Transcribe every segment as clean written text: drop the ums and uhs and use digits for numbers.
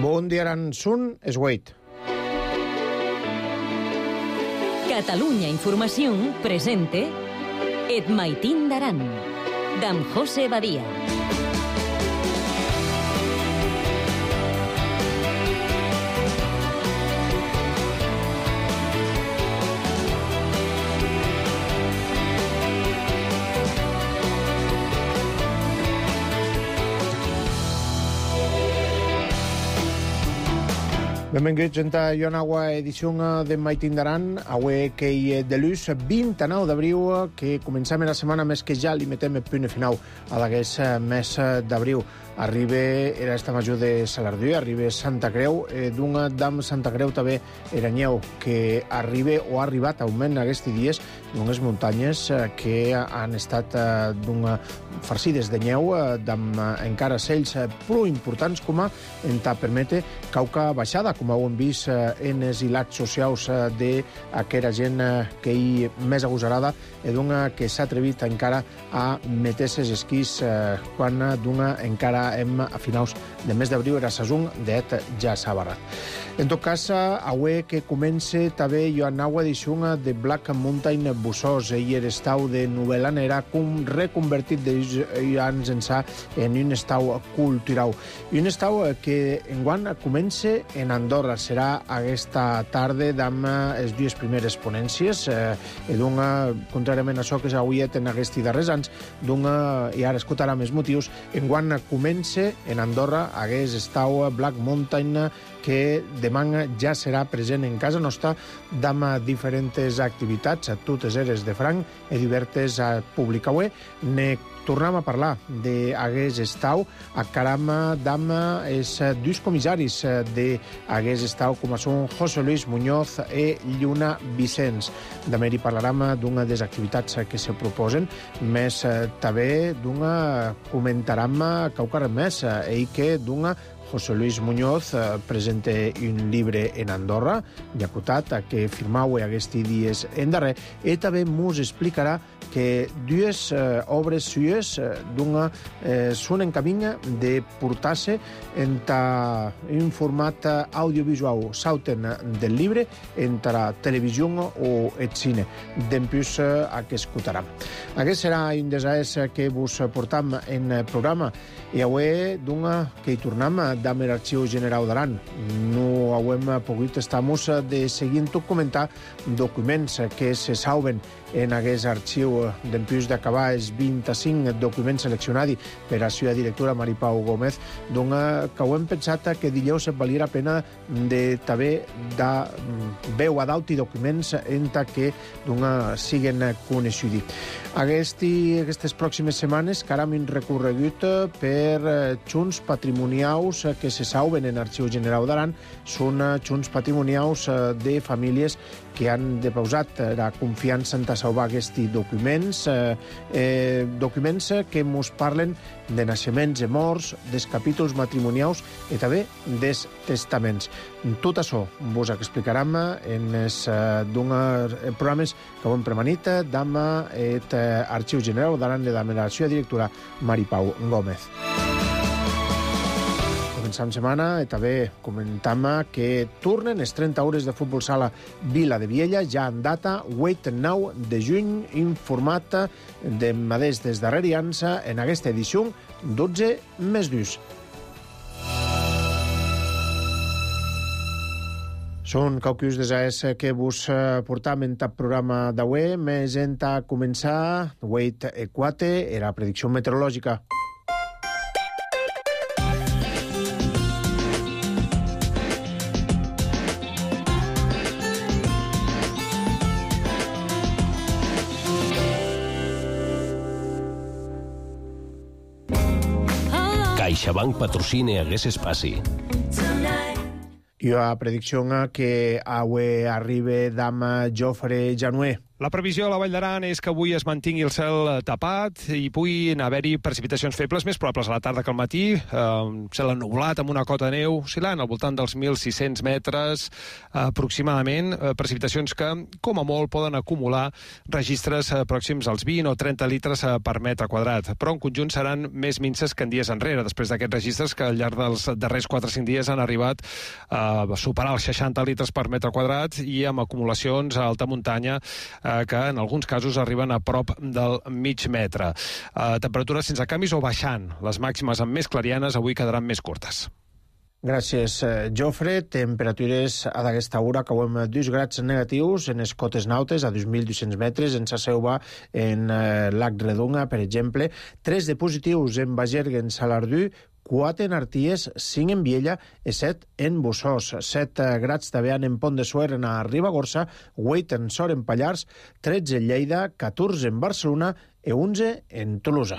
Bon dia, Sun es Wait. Catalunya Información presente Et Maitín d'Aran, d'en José Badia. Benvinguts a una nova edició de Maitín d'Aran, avui que hi de l'ús 29 d'abril, que comencem la setmana més que ja li metem el punt final a l'aguest mes d'abril. Arriba era esta major de Salardú, arriba Santa Creu, d'una dam Santa Creu també Eranyeu, que arriba o ha arribat a augment aquests dies d'unes muntanyes que han estat farcides de neu, amb encara cells prou importants com a entà permete cauca baixada, com ho hem vist en els hilats socials d'aquella gent que hi més agosarada i d'una que s'ha atrevit encara a meter ses esquís quan d'una encara hem a finals de mes d'abril era sasung d'et ja s'ha barrat. En tot cas, avui que comença també hi ha una nova edició de Black Mountain Bussos i l'estau de Novel·lanera reconvertit d'anys ençà en un estau cultural. I un estau que enguany comença en Andorra. Serà aquesta tarda amb les dues primeres ponències i contràriament a això que s'ha avui en aquests darrers anys, i ara escoltarà més motius, enguany comença en Andorra aquest estau Black Mountain que demà ja serà present en casa nostra amb diferents activitats, a totes eres de franc i diverses a públic. Avui ne tornem a parlar d'aquest estau a caram amb els dos comissaris d'aquest estau, com són José Luis Muñoz i Lluna Vicenç. També hi parlarem d'una de les activitats que se proposen, més també comentarem qualque més, i que José Luis Muñoz presenta un llibre en Andorra, llacutat, que firmau aquests dies en darrer, i també ens explicarà que dues obres suyes són en camí de portar-se en un format audiovisual, sauten del llibre entre la televisió o el cine. Dempús a que escoltarà. Aquest serà un dels que vos portam en el programa i avui que hi tornem amb l'Arxiu General d'Aran. No hem pogut estar de seguir tot comentar documents que se salven en aquest arxiu dempús d'acabar els 25 documents seleccionats per la seva directora Maripau Gómez, que ho hem pensat que dilluns valia la pena de també de veu a dalt i documents en que siguen coneguts. Aquestes pròximes setmanes caram un recorregut per junts patrimonials que se salven en l'Arxiu General d'Aran. Són junts patrimonials de famílies que han deposat la confiança en salvar aquests documents, documents que ens parlen de naixements i morts, dels capítols matrimonials i també dels testaments. Tot això vos explicarem en els programes que ho hem premanit amb l'Arxiu General d'Aran i amb la seva directora Maripau Gómez. Començam setmana i també comentam que tornen les 30 hores de futbol sala Vila de Viella, ja en data 8-9 de juny, informat de Madés des darrerians en aquesta edició 12+2. Són qualcus des que vos portam en el programa d'avui, més en començar 8-4 era la predicció meteorològica. CaixaBank patrocina aquest espai. I la predicció que avui arriba d'am Jofre Januer. La previsió a la Vall d'Aran és que avui es mantingui el cel tapat i puguin haver-hi precipitacions febles, més probables a la tarda que al matí. Cel ennublat amb una cota de neu oscil·lant al voltant dels 1.600 metres aproximadament. Precipitacions que, com a molt, poden acumular registres pròxims als 20 o 30 litres per metre quadrat. Però en conjunt seran més minces que en dies enrere, després d'aquests registres que al llarg dels darrers 4 o 5 dies han arribat a superar els 60 litres per metre quadrat i amb acumulacions a alta muntanya que en alguns casos arriben a prop del mig metre. Temperatures sense canvis o baixant. Les màximes amb més clarianes avui quedaran més curtes. Gràcies, Jofre. Temperatures a d'aquesta hora que hem 2 grads negatius en les cotes nautes a 2.200 metres, en Saseuva, en Lac Redonga, per exemple. 3 de positius en Bagergue, en Salardú, 4 en Arties, 5 en Viella i 7 en Bussós. 7 grads també en Pont de Suert, a Ribagorça, 8 en Sort, en Pallars, 13 en Lleida, 14 en Barcelona i 11 en Tolosa.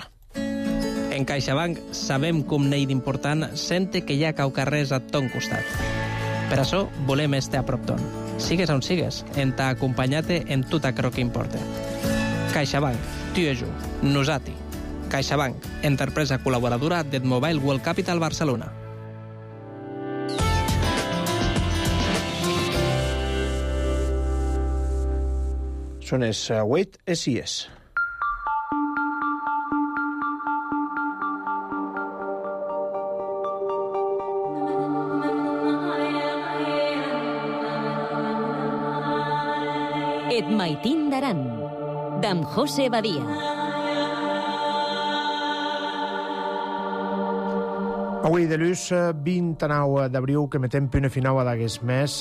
En CaixaBank sabem com n'hi d'important sente que hi ha caucarrers a ton costat. Per això volem estar a prop ton. Sigues on sigues, en t'acompanyate en tot aquello que importa. CaixaBank, tu i jo, nosati. CaixaBank, empresa col·laboradora d'Edmobile World Capital Barcelona. Són les 8 i 6. Et Maitín d'Aran, d'en José Badia. Avui de l'ús 29 d'abril que metem punt final d'aguest mes.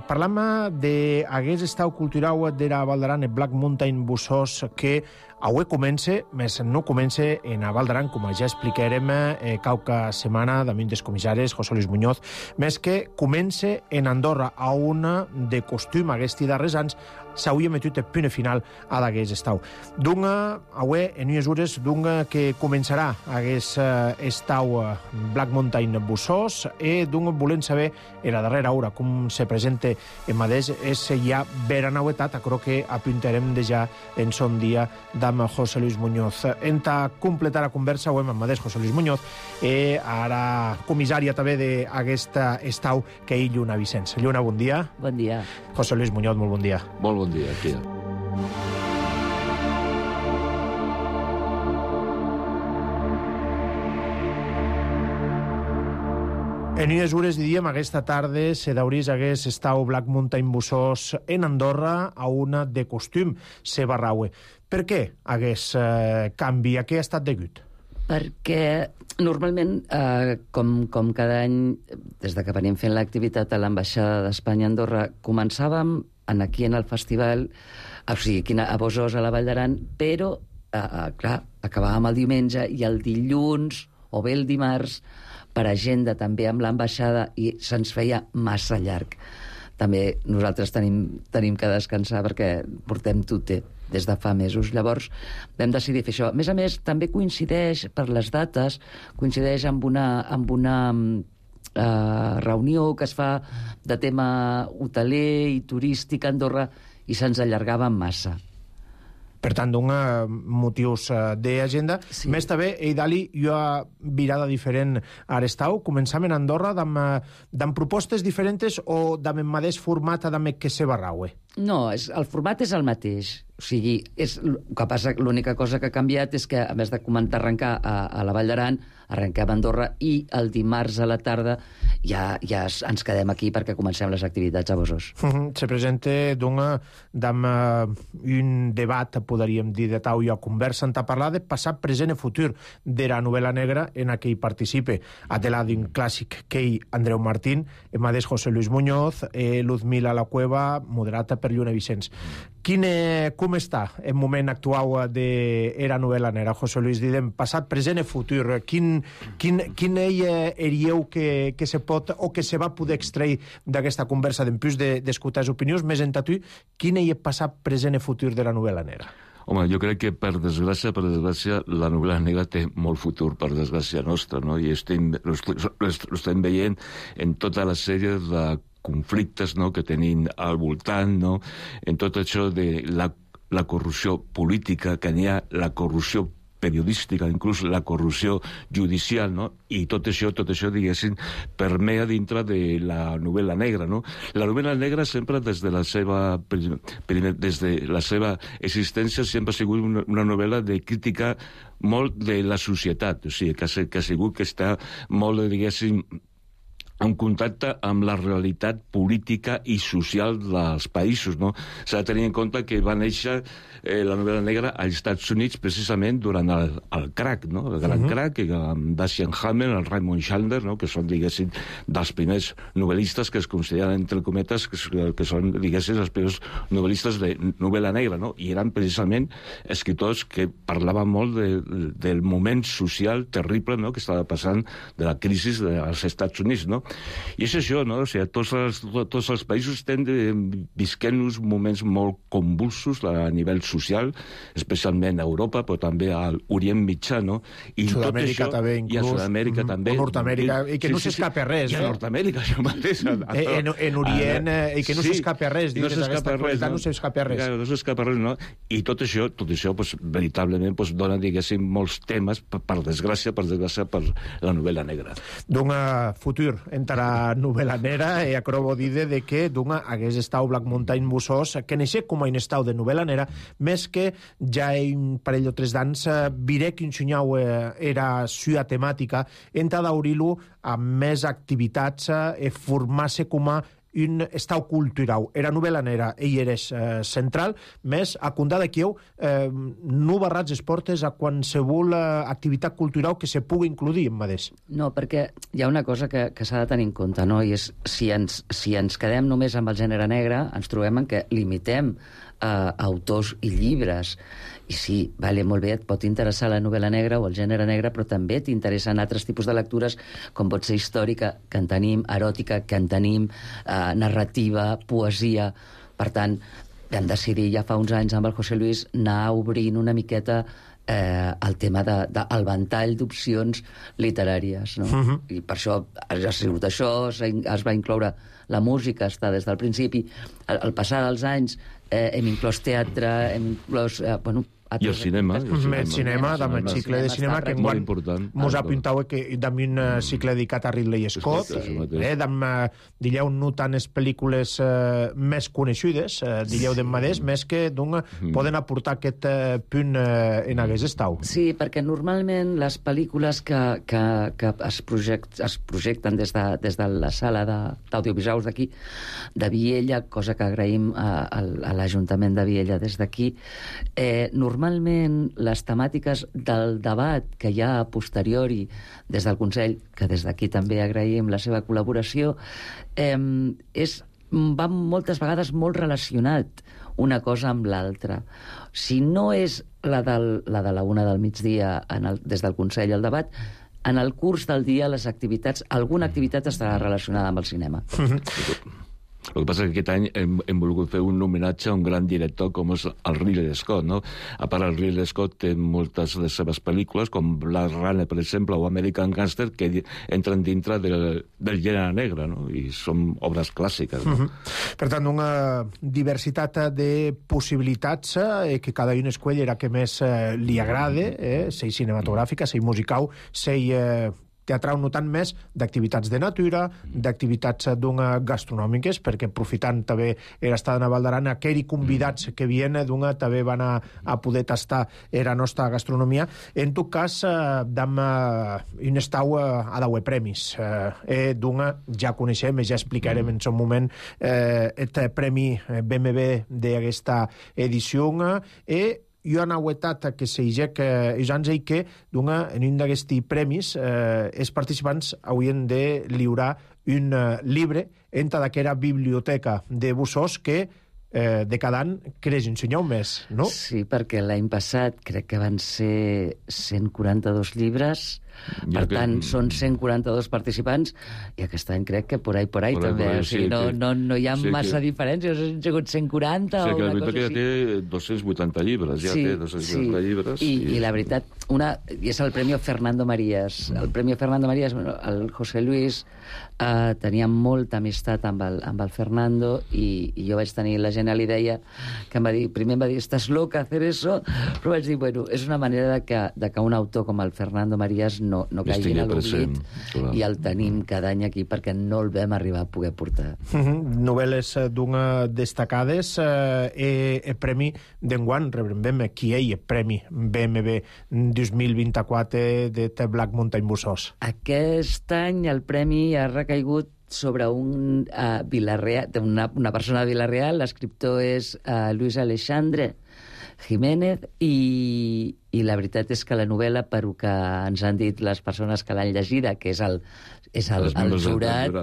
Parlam d'aguest estau cultural de la Val d'Aran, el Black Mountain Bussós, que avui comença, més no comença en a Val d'Aran, com ja explicarem cauca setmana damunt dels comissaris, José Luis Muñoz, més que comença en Andorra, a una de costum aquests darrers anys s'hauria metut el punt final a d'aquest estau. Dunga, avui, en unes hores, dunga que començarà aquest estau Black Mountain Bussós i dunga volem saber en la darrera hora com se presenta en mateix és ja vera novetat, crec que apuntarem de ja en son dia amb José Luis Muñoz. Enta completar la conversa avui amb mateix José Luis Muñoz i ara comissària també d'aquest estau que és Lluna Vicenç. Lluna, bon dia. Bon dia. José Luis Muñoz, molt bon dia. Molt bon dia, aquí. En unes hores, diríem, aquesta tarda se daurís hagués estau Black Mountain Bussós en Andorra a una de costum se barraue. Per què hagués canvi? A què ha estat degut? Perquè normalment, com cada any, des que venim fent l'activitat a l'ambaixada d'Espanya a Andorra, començàvem aquí en el festival, o sigui, aquí a Bussós, a la Vall d'Aran, però, clar, acabàvem el diumenge i el dilluns o bé el dimarts per agenda també amb l'ambaixada i se'ns feia massa llarg. També nosaltres tenim que descansar perquè portem tute des de fa mesos. Llavors vam decidir fer això. A més, també coincideix per les dates, coincideix amb una reunió que es fa de tema hoteler i turístic a Andorra i se'ns allargava massa. Per tant, motius d'agenda. Sí. Més també, Eidali, jo ha virada diferent a l'estau. Començam en Andorra amb propostes diferents o amb el mateix format que se barraue? No, el format és el mateix. O sigui, l'única cosa que ha canviat és que, a més de començar a arrencar a la Vall d'Aran, arrenquem a Andorra i el dimarts a la tarda ja ens quedem aquí perquè comencem les activitats a Bussós. Se presenta amb un debat, podríem dir, de tau i a conversa a parlar de passat, present i futur de la novel·la negra en què hi participe. A de la d'un clàssic que hi Andreu Martín, el mateix José Luis Muñoz, Luzmila La Cueva, moderata per Lluna Vicenç. Com està el moment actual de la novel·la negra, José Luis? Didem, passat, present i futur. Quin erieu que se pot o que se va poder extrair d'aquesta conversa d'empús d'escoltar les opinions, més en tu, quin és passat, present i futur de la novel·la negra? Home, jo crec que, per desgràcia, la novel·la negra té molt futur, per desgràcia nostra, no? I ho estem veient en tota la sèrie de conflictes, no?, que tenim al voltant, no?, en tot això de la corrupció política, que n'hi ha la corrupció periodística, inclús la corrupció judicial, no? I tot això, diguéssim, permea dintre de la novel·la negra, no? La novel·la negra sempre, des de la seva existència, sempre ha sigut una novel·la de crítica molt de la societat, o sigui, que ha sigut que està molt, diguéssim, en contacte amb la realitat política i social dels països, no? S'ha de tenir en compte que va néixer la novel·la negra als Estats Units precisament durant el crack, no? El gran crack, amb Dashiell Hammett, el Raymond Chandler, no?, que són, diguéssim, dels primers novel·listes que es consideren, entre cometes, que són, diguéssim, els primers novel·listes de novel·la negra, no? I eren precisament escriptors que parlaven molt del moment social terrible, no?, que estava passant, de la crisi dels Estats Units, no? I és això, no? O sigui, tots els països estem visquent uns moments molt convulsos a nivell social, especialment a Europa, però també a l'Orient Mitjà, no? I Sud-amèrica també, inclús. I a Sud-amèrica també. O Nord-amèrica, i que no s'escapa res, I a Nord-amèrica, això mateix. En Orient, i que no s'escapa res, dins d'aquesta qualitat no s'escapa res. No s'escapa res, no? I tot això, veritablement, dona, diguéssim, molts temes, per desgràcia, per la novel·la negra. D'un futur entara novel·la negra, e acrobo dide de que d'un hagués estau Black Mountain Busós, que neixé com a un estau de novel·la negra, més que ja un parell o tres d'ans viré que ensenyau era sua temàtica, enta d'aurir-lo amb més activitats e formar-se com a un estau cultural. Era novel·la negra, ell era central, més a condar d'aquí no barrats les portes a qualsevol activitat cultural que se pugui incluir en Madés. No, perquè hi ha una cosa que s'ha de tenir en compte, no? I és, si ens quedem només amb el gènere negre, ens trobem en que limitem autors i llibres. I sí, vale, molt bé, et pot interessar la novel·la negra o el gènere negre, però també t'interessen altres tipus de lectures, com pot ser històrica, que en tenim, eròtica, que en tenim, narrativa, poesia. Per tant, vam decidir ja fa uns anys amb el José Luis anar obrint una miqueta el tema del ventall d'opcions literàries, no? I per això ha sigut això, es va incloure la música, està des del principi. Al passar dels anys hem inclòs teatre, hem inclòs... I el cinema. El cinema, amb el cicle de cinema, que molt important. Mos apuntau que d'am un cicle dedicat a Ridley Scott, dilleu no tant les pel·lícules més coneixudes, dilleu d'en Madés, més que poden aportar aquest punt en hagués estau. Sí, perquè normalment les pel·lícules que es projecten des de la sala d'audiovisuals d'aquí, de Viella, cosa que agraïm a l'Ajuntament de Viella des d'aquí, normalment les temàtiques del debat que hi ha a posteriori des del Consell, que des d'aquí també agraïm la seva col·laboració, va moltes vegades molt relacionat una cosa amb l'altra. Si no és la de la 1 del migdia des del Consell al debat, en el curs del dia alguna activitat estarà relacionada amb el cinema. El que passa que aquest any hem volgut fer un homenatge a un gran director com és el Ridley Scott, no? A part, el Ridley Scott té moltes de les seves pel·lícules, com Blade Runner, per exemple, o American Gangster, que entren dintre del gènere negre, no? I són obres clàssiques, no? Per tant, una diversitat de possibilitats que cada un escull era que més li agrada, sei cinematogràfica, sei musical, sei teatral, no tant més d'activitats de natura, d'activitats gastronòmiques, perquè aprofitant també era estada a Val d'Aran, aquells convidats que havien també van a poder tastar la nostra gastronomia. En tot cas, dam un estau a dauer premis. Ja coneixem, ja explicarem en son moment el premi BMB d'aquesta edició, jo han auetat que s'eixec que en un d'aquests premis els participants haurien de lliurar un llibre entre d'aquella biblioteca de Busós que de cada any creix ensenyeu més, no? Sí, perquè l'any passat crec que van ser 142 llibres, Per tant, són 142 participants, i aquest any crec que por ahí també. O sigui, no hi ha massa diferències, han sigut 140 o una cosa així. Ja té 280 llibres, té 280 llibres. I la veritat, i és el Premi Fernando Marías. El Premi Fernando Marías, el José Luis tenia molta amistat amb el Fernando, i jo vaig tenir la genial idea que primer em va dir, estàs loca hacer eso, però vaig dir, bueno, és una manera de que un autor com el Fernando Marías no caigui a l'oblit, i el tenim cada any aquí perquè no el vam arribar a poder portar. Novel·les destacades, premi d'enguany, rebrem qui hi ha premi BMB 2024 de Black Mountain Bussos. Aquest any el premi ha recaigut sobre un Vilareal, una persona de Vilareal. L'escriptor és Luis Alexandre Jiménez, i la veritat és que la novel·la, per que ens han dit les persones que l'han llegida, que és el jurat,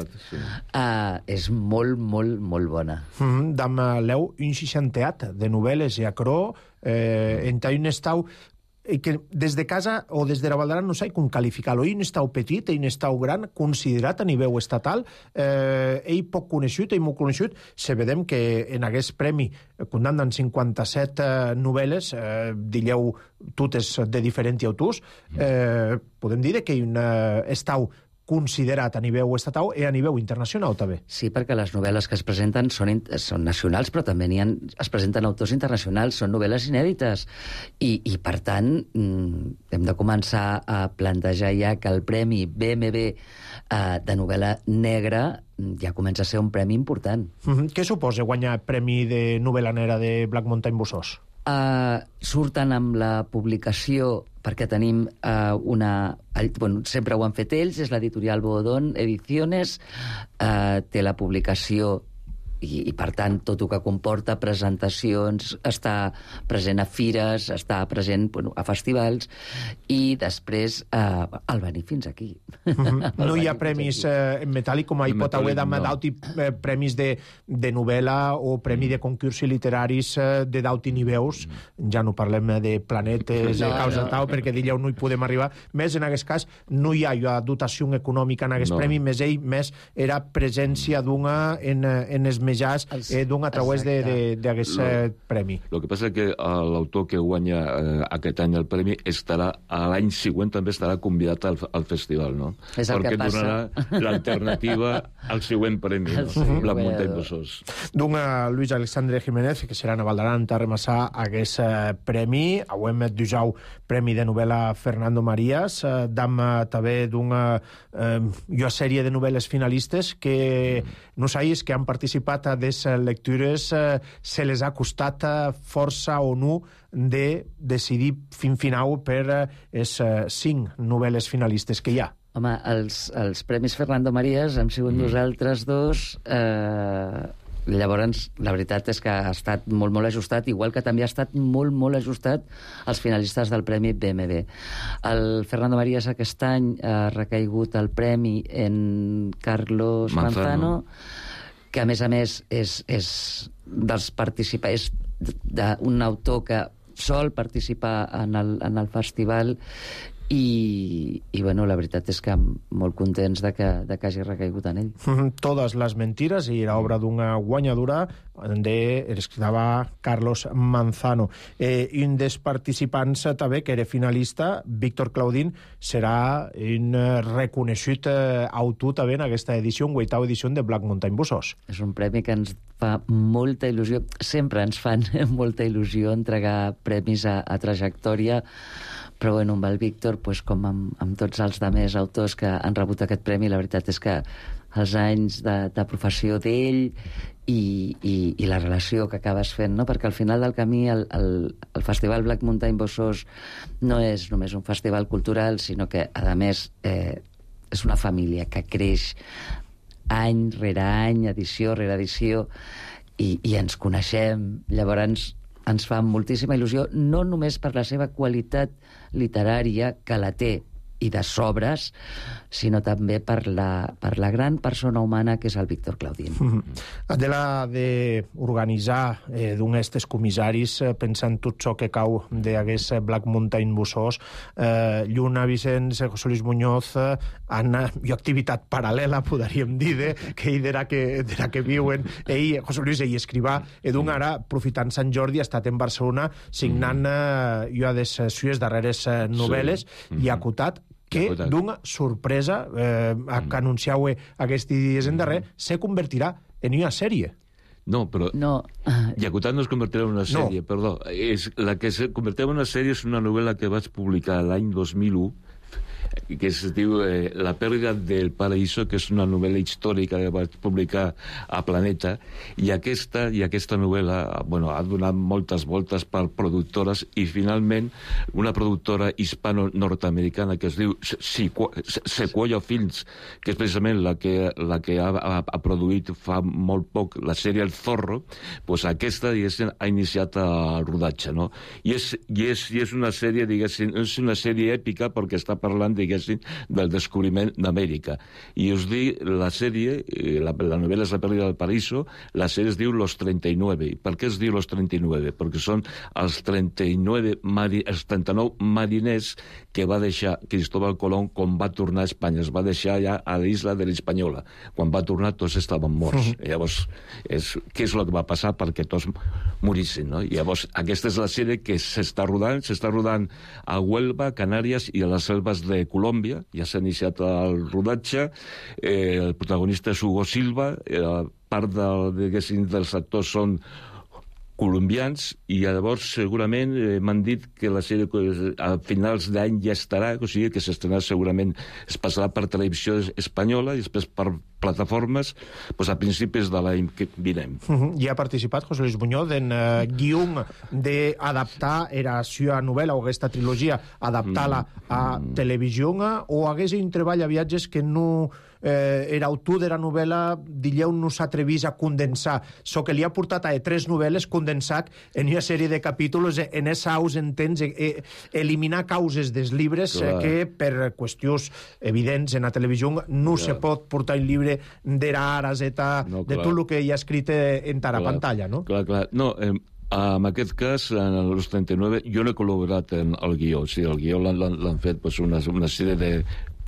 és molt, molt, molt bona. Dam leu un 60 de novel·les i acrò, en un estau que des de casa o des de la Valdaran no sé com qualificar-lo. Ell estàu petit, ell estàu gran, considerat a nivell estatal, ell poc coneixut, ell molt coneixut. Se vedem que en aquest premi condemnen 57 novel·les, digueu totes de diferents autors, podem dir que ell estàu considerat a nivell estatal i a nivell internacional, també. Sí, perquè les novel·les que es presenten són nacionals, però també es presenten autors internacionals, són novel·les inèdites. I per tant, hem de començar a plantejar ja que el Premi BMB de novel·la negra ja comença a ser un premi important. Què suposa guanyar Premi de novel·la negra de Black Mountain Bussos? Surten amb la publicació, perquè tenim sempre ho han fet ells, és l'editorial Bodón Ediciones, té la publicació i per tant tot el que comporta presentacions, està present a fires, està present a festivals, i després el venir fins aquí. No hi ha premis en metàl·lic, com hi pot haver d'auti premis de novel·la o premi de concursos literaris de d'auti nivells. Ja no parlem de planetes, de causa tal, perquè d'allò no hi podem arribar. Més en aquest cas no hi ha dotació econòmica en aquest premi, més era presència d'una en els menjars d'un a través d'aquest premi. El que passa és que l'autor que guanya aquest any el premi estarà, l'any següent també estarà convidat al festival, no? És el que passa. Perquè donarà l'alternativa al següent premi, no? La Mountain Bussos. D'un Luis Alexandre Jiménez, que serà a Valdaran a remassar aquest premi. Avui hem dijau premi de novel·la Fernando Marías. Dam també d'una sèrie de novel·les finalistes que nosaltres que han participat a des lectures se les ha costat força o no de decidir fin final per les 5 novel·les finalistes que hi ha. Home, els Premis Fernando Marías hem sigut nosaltres dos. Llavors, la veritat és que ha estat molt, molt ajustat, igual que també ha estat molt, molt ajustat els finalistes del Premi BMB. El Fernando Marías aquest any ha recaigut el premi en Carlos Manzano, que a més és dels participants, d'un autor que sol participar en el festival, i la veritat és que molt contents de que hagi recaigut en ell. Totes les mentires, i era obra d'una guanyadora escrivava Carlos Manzano. Un dels participants també, que era finalista, Víctor Claudín, serà un reconeixut autor també en aquesta edició, 8ª edició de Black Mountain Bussos. És un premi que ens fa molta il·lusió, sempre ens fan molta il·lusió entregar premis a trajectòria, però amb el Víctor, com amb tots els altres autors que han rebut aquest premi, la veritat és que els anys de professió d'ell i la relació que acabes fent, no? Perquè al final del camí el Festival Black Mountain Bussos no és només un festival cultural, sinó que, a més, és una família que creix any rere any, edició rere edició, i ens coneixem. Llavors ens fa moltíssima il·lusió, no només per la seva qualitat literària, que la té, i de sobres, sinó també per la gran persona humana que és el Víctor Claudín. Adela, d'organitzar d'un estes comissaris, pensant tot això que cau d'aquest Black Mountain Bussos, Lluna, Vicenç, José Luis Muñoz, han activitat paral·lela, podríem dir, que ell d'era que viuen. José Luis, ell escrivà, d'un ara, aprofitant Sant Jordi, ha estat en Barcelona signant les seues darreres novel·les i ha acotat que d'una sorpresa que anunciau aquests dies en darrer se convertirà en una sèrie. No, però Yakutat no es convertirà en una sèrie, perdó. La que se convertirà en una sèrie és una novel·la que vaig publicar l'any 2001, que es diu La pèrdua del paraíso, que és una novel·la històrica que vaig publicar a Planeta, i aquesta novel·la ha donat moltes voltes per productores, i finalment una productora hispano-nord-americana que es diu Sequoia Films, que és precisament la que ha produït fa molt poc la sèrie El Zorro, doncs aquesta ha iniciat el rodatge, no? I és una sèrie, diguéssim, és una sèrie èpica perquè està parlant, diguéssim, del descobriment d'Amèrica. I us dic, la sèrie, la novel·la és La pèrdua del paraíso, la sèrie es diu Los 39. I per què es diu Los 39? Perquè són els 39 mariners que va deixar Cristóbal Colón quan va tornar a Espanya. Es va deixar ja a l'isla de l'Hispaniola. Quan va tornar tots estaven morts. Llavors, què és el que va passar perquè tots morissin, no? Llavors, aquesta és la sèrie que s'està rodant a Huelva, Canàries i a les selves de Colòmbia. Ja s'ha iniciat el rodatge. El protagonista és Hugo Silva. Part dels actors són colombians, i llavors segurament m'han dit que la sèrie a finals d'any ja estarà, o sigui que s'estrenarà segurament, es passarà per televisió espanyola i després per plataformes a principis de l'any que vinent. I ha participat José Luis Muñoz en guion d'adaptar era seva novel·la o aquesta trilogia, adaptar-la a televisió, o hagués un treball a viatges que no era autor de la novel·la, dilleu, no s'atrevís a condensar. So que li ha portat a 3 novel·les condensat en una sèrie de capítols, en esa aus entens, eliminar causes dels llibres que per qüestions evidents en la televisió no se pot portar un llibre d'era arazeta, de tot el que hi ha escrit en la pantalla, no? Clar. No, en aquest cas, en els 39, jo no he col·laborat en el guió. O sigui, el guió l'han fet una sèrie de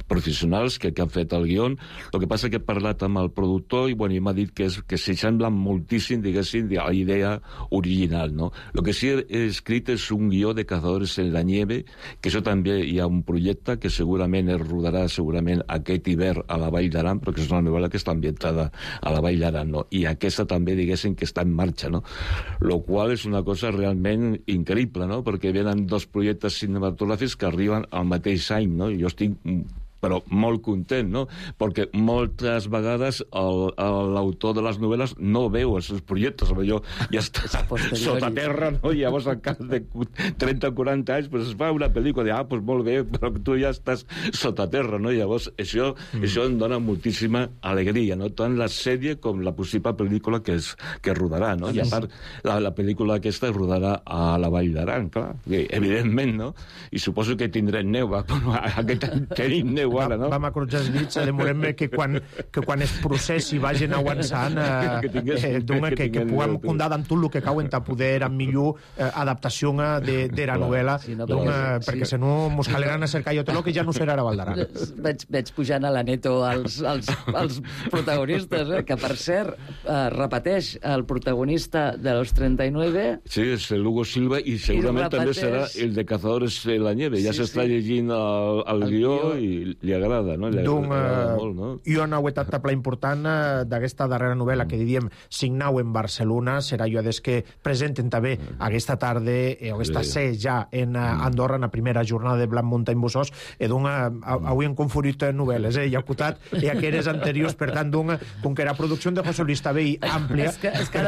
professionals que han fet el guió. El que passa que he parlat amb el productor i m'ha dit que s'hi sembla moltíssim, diguéssim, a la idea original, no? El que sí he escrit és un guió de Cazadores en la nieve, que això també hi ha un projecte que segurament es rodarà aquest hivern a la Vall d'Aran, perquè és una novel·la que està ambientada a la Vall d'Aran, no? I aquesta també, diguéssim, que està en marxa, no? Lo qual és una cosa realment increïble, no? Perquè venen 2 projectes cinematogràfics que arriben al mateix any, no? I jo estic però molt content, no? Perquè moltes vegades l'autor de les novel·les no veu els seus projectes, jo ja està sota terra, no? I llavors al cap de 30 o 40 anys es fa una pel·lícula de, molt bé, però tu ja estàs sota terra, no? I llavors això em dona moltíssima alegria, no? Tant la sèrie com la possible pel·lícula que rodarà, no? I a part, la pel·lícula aquesta es rodarà a la Vall d'Aran, clar, evidentment, no? I suposo que tindrem neu, aquest any tenim neu ara, no? Vam acordar els dits, demorem que quan es processi vagin avançant, que puguem condar amb tot el que cau en ta poder amb millor adaptació de la novel·la, perquè si no mos caleran a cercar jo tot el que ja no serà a Vall d'Aran. Veig pujant a la Neto els protagonistes, que per cert repeteix el protagonista de Los 39. Sí, és Hugo Silva, i segurament també serà el de Cazadores en la nieve. Ja s'està llegint el guió i li agrada, no? Molt, no? I una etapa important d'aquesta darrera novel·la que diríem signau en Barcelona serà jo des que presenten també aquesta tarda o aquesta ser ja en Andorra en la primera jornada de Black Mountain Bussos, avui han confundit novel·les, i acotat i aquelles anteriors, per tant, com que era producció de José Luis també àmplia... És que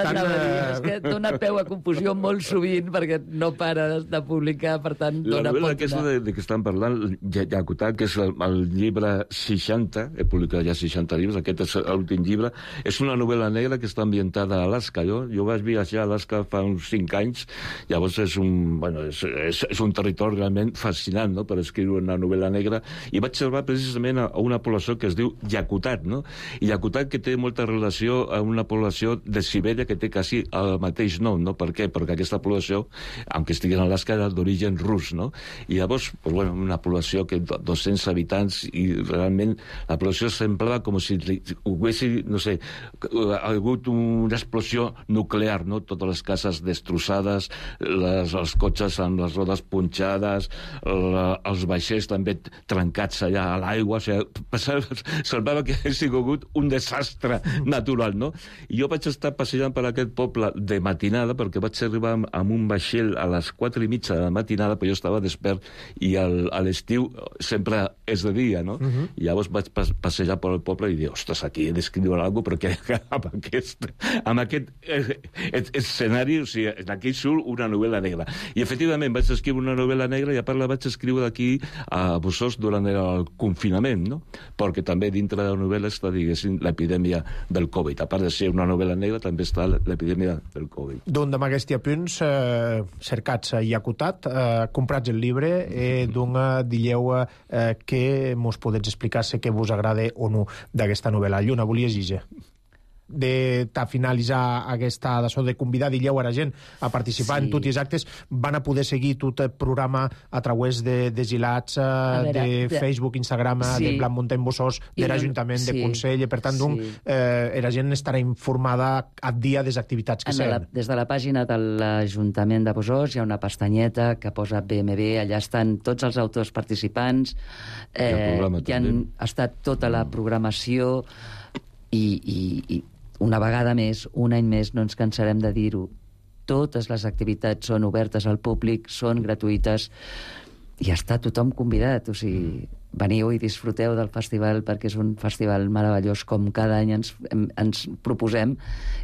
que dona peu a confusió molt sovint perquè no para de publicar, per tant, dona pot... La novel·la aquesta de que estan parlant, ja acotat, que és el el llibre 60, he publicat ja 60 llibres, aquest és l'últim llibre. És una novel·la negra que està ambientada a Alaska. Jo vaig viatjar a Alaska fa uns 5 anys, llavors és un territori realment fascinant, no?, per escriure una novel·la negra, i vaig trobar precisament a una població que es diu Yakutat, no? I Yakutat, que té molta relació a una població de Sibèria que té quasi el mateix nom, no? Per què? Perquè aquesta població, aunque estigui en Alaska, era d'origen rus, no? I llavors, pues, bueno, una població que 200 habitants, i realment la població semblava com si hubiese, no sé, hagut una explosió nuclear, no? Totes les cases destrossades, els cotxes amb les rodes punxades, els vaixells també trencats allà a l'aigua, o sigui, semblava que hagués sigut un desastre natural, no? I jo vaig estar passejant per aquest poble de matinada, perquè vaig arribar amb un vaixell a les 4:30 de la matinada, però jo estava despert, i a l'estiu sempre és de dia, no? I llavors vaig passejar per el poble i dir, ostres, aquí he d'escriure alguna cosa, perquè amb aquest escenari, o sigui, aquí surt una novel·la negra. I efectivament vaig escriure una novel·la negra, i a part la vaig escriure aquí a Busós durant el confinament, no? Perquè també dintre de la novel·la està, diguéssim, l'epidèmia del Covid. A part de ser una novel·la negra, també està l'epidèmia del Covid. D'un d'aquests punts cercats i acotat, comprats el llibre, d'un dilleu que mos podets explicar si que vos agrada o no d'aquesta novel·la. Lluna, volies dir de finalitzar aquesta d'això de convidar, dilleu a la gent a participar en tots els actes, van a poder seguir tot el programa a través de Gilats, de Facebook, Instagram, de Blanc Muntany Busós, de l'Ajuntament, de Consell, per tant, la gent estarà informada a dia de les activitats que seran. Des de la pàgina de l'Ajuntament de Busós hi ha una pestanyeta que posa BMB, allà estan tots els autors participants, que han estat tota la programació, i una vegada més, un any més, no ens cansarem de dir-ho, totes les activitats són obertes al públic, són gratuïtes, i està tothom convidat. O sigui, veniu i disfruteu del festival, perquè és un festival meravellós, com cada any ens proposem,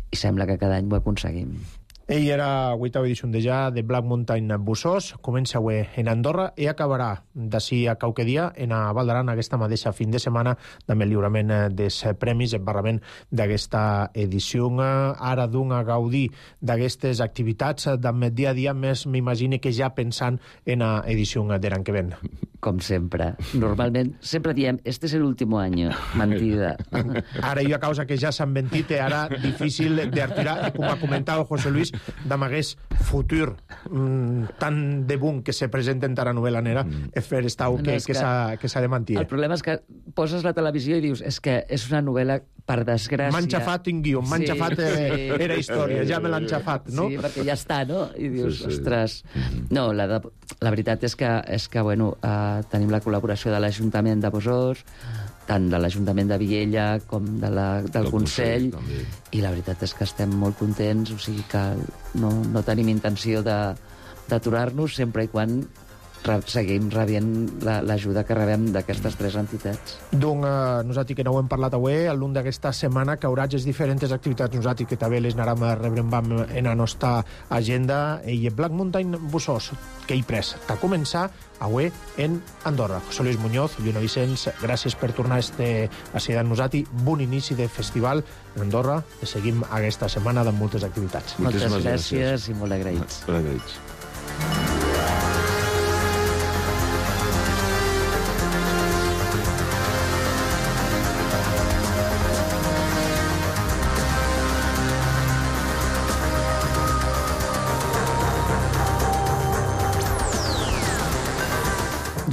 i sembla que cada any ho aconseguim. Ell era la 8ª edició de Blanc Muntany Busós, comença avui en Andorra i acabarà d'ací a qualque dia en a Val d'Aran aquesta mateixa fin de setmana, amb el lliurament dels premis, el barrament d'aquesta edició. Ara d'un a gaudir d'aquestes activitats, amb el dia a dia, més m'imagino que ja pensant en la edició de l'any que ven. Com sempre. Normalment, sempre diem, este es el último año. Mentida. Ara hi ha causa que ja s'han ventit, ara difícil d'artirar, com ha comentat José Luis, d'amagués futur tan de boom que se presenta en la novel·la negra, és fer estau que s'ha de mentir. El problema és que poses la televisió i dius, és que és una novel·la, per desgràcia... M'han xafat un guió, m'han xafat era història, ja me l'han xafat, no? Sí, perquè ja està, no? I dius, ostres... No, la veritat és que bueno, tenim la col·laboració de l'Ajuntament de Busós, tant de l'Ajuntament de Viella com del Consell, i la veritat és que estem molt contents, o sigui que no tenim intenció d'aturar-nos sempre i quan seguim rebent l'ajuda que rebem d'aquestes 3 entitats. Nosaltres que no ho hem parlat avui, al long d'aquesta setmana que haurà diferents activitats, nosaltres que també les anàrem a rebre en la nostra agenda, i Blanc Muntany Busós, que hi pres, t'ha començat avui en Andorra. José Luis Muñoz, Lluna Vicenç, gràcies per tornar a ser amb nosaltres. Bon inici de festival en Andorra, i seguim aquesta setmana amb moltes activitats. Moltes gràcies i molt agraïts. Molt agraïts.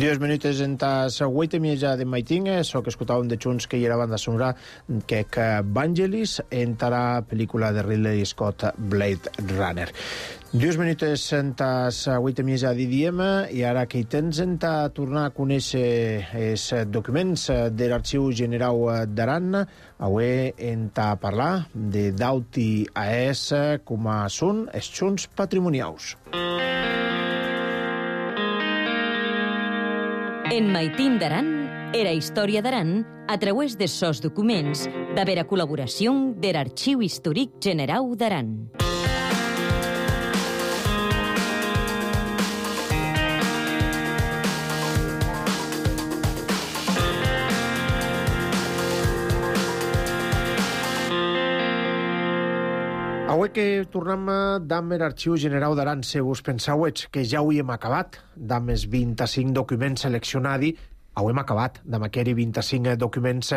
Dies minuts en tas 8:30 de maiting, so que escoltàvem de Junts que hi era banda sonora que Vangelis entrarà pel·lícula de Ridley Scott, Blade Runner. 2 minuts en tas 8:30 de diem, i ara que hi tens en ta tornar a conèixer els documents de l'Arxiu General d'Aran, avui en ta parlar de d'Auti AES com són els junts patrimonials. En Maitín d'Aran, era història d'Aran a través de sos documents de vera col·laboració de l'Arxiu Històric General d'Aran. Avui que tornem d'amb l'Arxiu Generau d'Aran, se vos pensauets que ja ho hem acabat, d'amb els 25 documents seleccionats, ho hem acabat, d'amb aquells 25 documents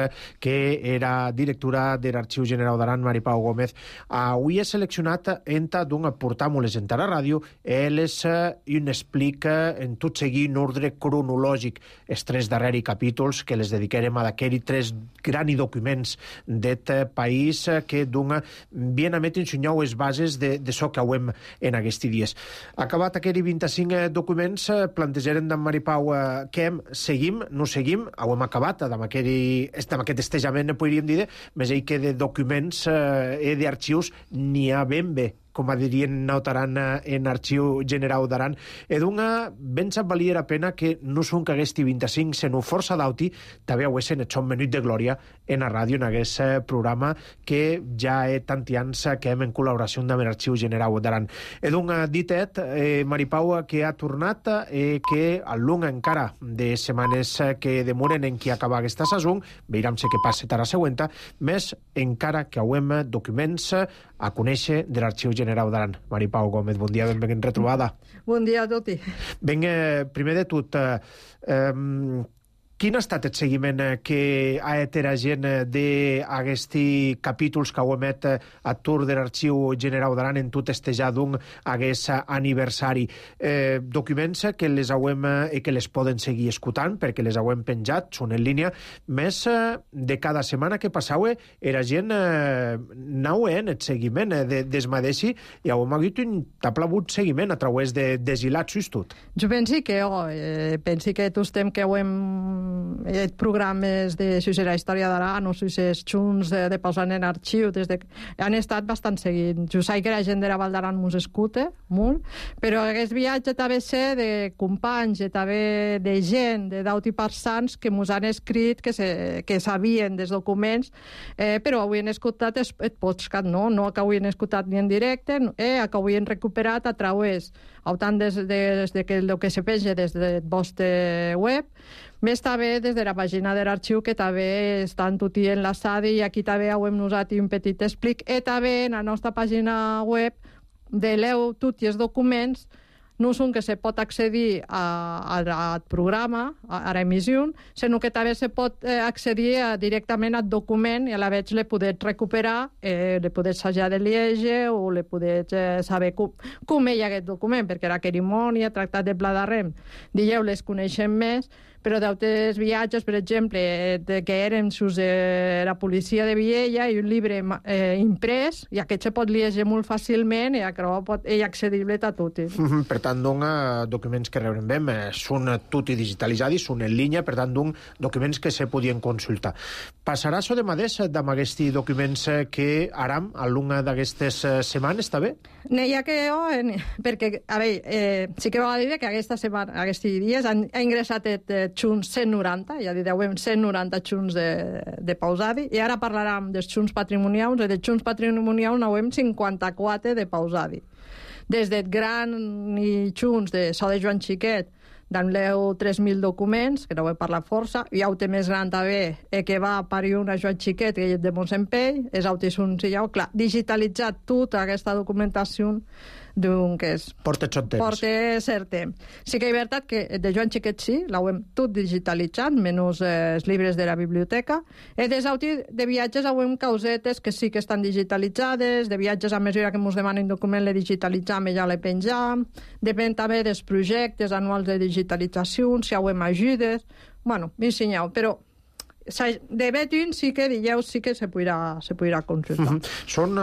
que era directora de l'Arxiu Generau d'Aran, Mari Pau Gómez. Avui he seleccionat enta d'un portam-les enta la ràdio, elles un explica en tot seguir en ordre cronològic els 3 darrers capítols que les dedicarem a d'aquells 3 grans documents d'et país que d'un bien a met ensenyau les bases de so que hem en aquests dies. Acabat aquells 25 documents, plantejarem d'en Mari Pau què hem, seguim, no seguim, ho hem acabat, amb aquest estejament, podríem dir, més ell que de documents i d'arxius n'hi ha ben bé, com dirien notaran en Arxiu Generau d'Aran. E d'una ben sap valia la pena que no són que aquesti 25, sinó força d'auti, també ho esen et són menut de glòria en la ràdio, en aquest programa que ja he tanti anys que hem en col·laboració amb l'Arxiu Generau d'Aran. E d'un ditet, Mari Pau, que ha tornat que al long encara de setmanes que demoren en qui acaba aquesta sason, veurem què passa a la següent, més encara que hauem documents a conèixer de l'Arxiu Generau d'Aran. Mari Pau Gómez, bon dia, ben retrobada. Bon dia a tots. Ben, primer de tot, quin ha estat el seguiment que ha fet la gent d'aquests capítols que heu emet a tour de l'Arxiu Generau d'Aran en tot estejar d'un aquest aniversari? Documents que les hauem i que les poden seguir escoltant perquè les hauem penjat, són en línia, més de cada setmana que passau la gent anau en el seguiment desmadeixi i hauem hagut un taplavut seguiment a través de desilats i tot. Jo penso que tots temps que hauem programes de la història d'Aran o els junts de posant en arxiu han estat bastant seguint. Jo sé que la gent de la Val d'Aran mos escuta molt, però aquest viatge també sé de companys i també de gent d'auti parsans que mos han escrit que sabien dels documents, però avui han escoltat el podcast, no que avui han escoltat ni en directe, que avui han recuperat a través tant des que el que se penja des del vostre web, més també des de la pàgina de l'arxiu, que també està tot enlaçada, i aquí també hem usat un petit explic, i també en la nostra pàgina web de l'EU tots els documents no són que se pot accedir al programa, a l'emissió, sinó que també se pot accedir directament al document i a la vegada le podeu recuperar, le podeu assajar de llegir o le podeu saber com és aquest document, perquè la cerimònia, tractat de Pla d'Arrem, dieu, les coneixem més, però d'altres viatges, per exemple, que eren la policia de Viella i un llibre imprès, i aquest se pot llegir molt fàcilment i és accedible a tot. Per tant, documents que rebrem bé són tot digitalitzats, són en línia, per tant, documents que se podien consultar. Passarà això de mateix amb aquests documents que aram a l'una d'aquestes setmanes, està bé? N'hi ha que perquè, a veure, sí que va dir que aquests dies han ingressat junts 190, ja direu 190 junts de pausadi, i ara parlarem dels junts patrimonials, i dels junts patrimonials n'hauem 54 de pausadi. Des del gran i junts de so de Joan Xiquet, d'anleu 3.000 documents, que no vull parlar força, i auto més gran també, que va parir una Joan Xiquet, que és de Montsempell, és autissun, si ja, clar, digitalitzat tota aquesta documentació d'un que és... Porta cert temps. Sí que és veritat que de Joan Xiquet sí, l'hem tot digitalitzat, menys els llibres de la biblioteca, i des de viatges hem causetes que sí que estan digitalitzades, de viatges a mesura que ens demanen document le digitalitzam i ja le penjam, depèn també dels projectes anuals de digitalització, si hem ajudes, bueno, m'ensenyeu, però de Betin sí que dijous sí que se podrà consultar. Són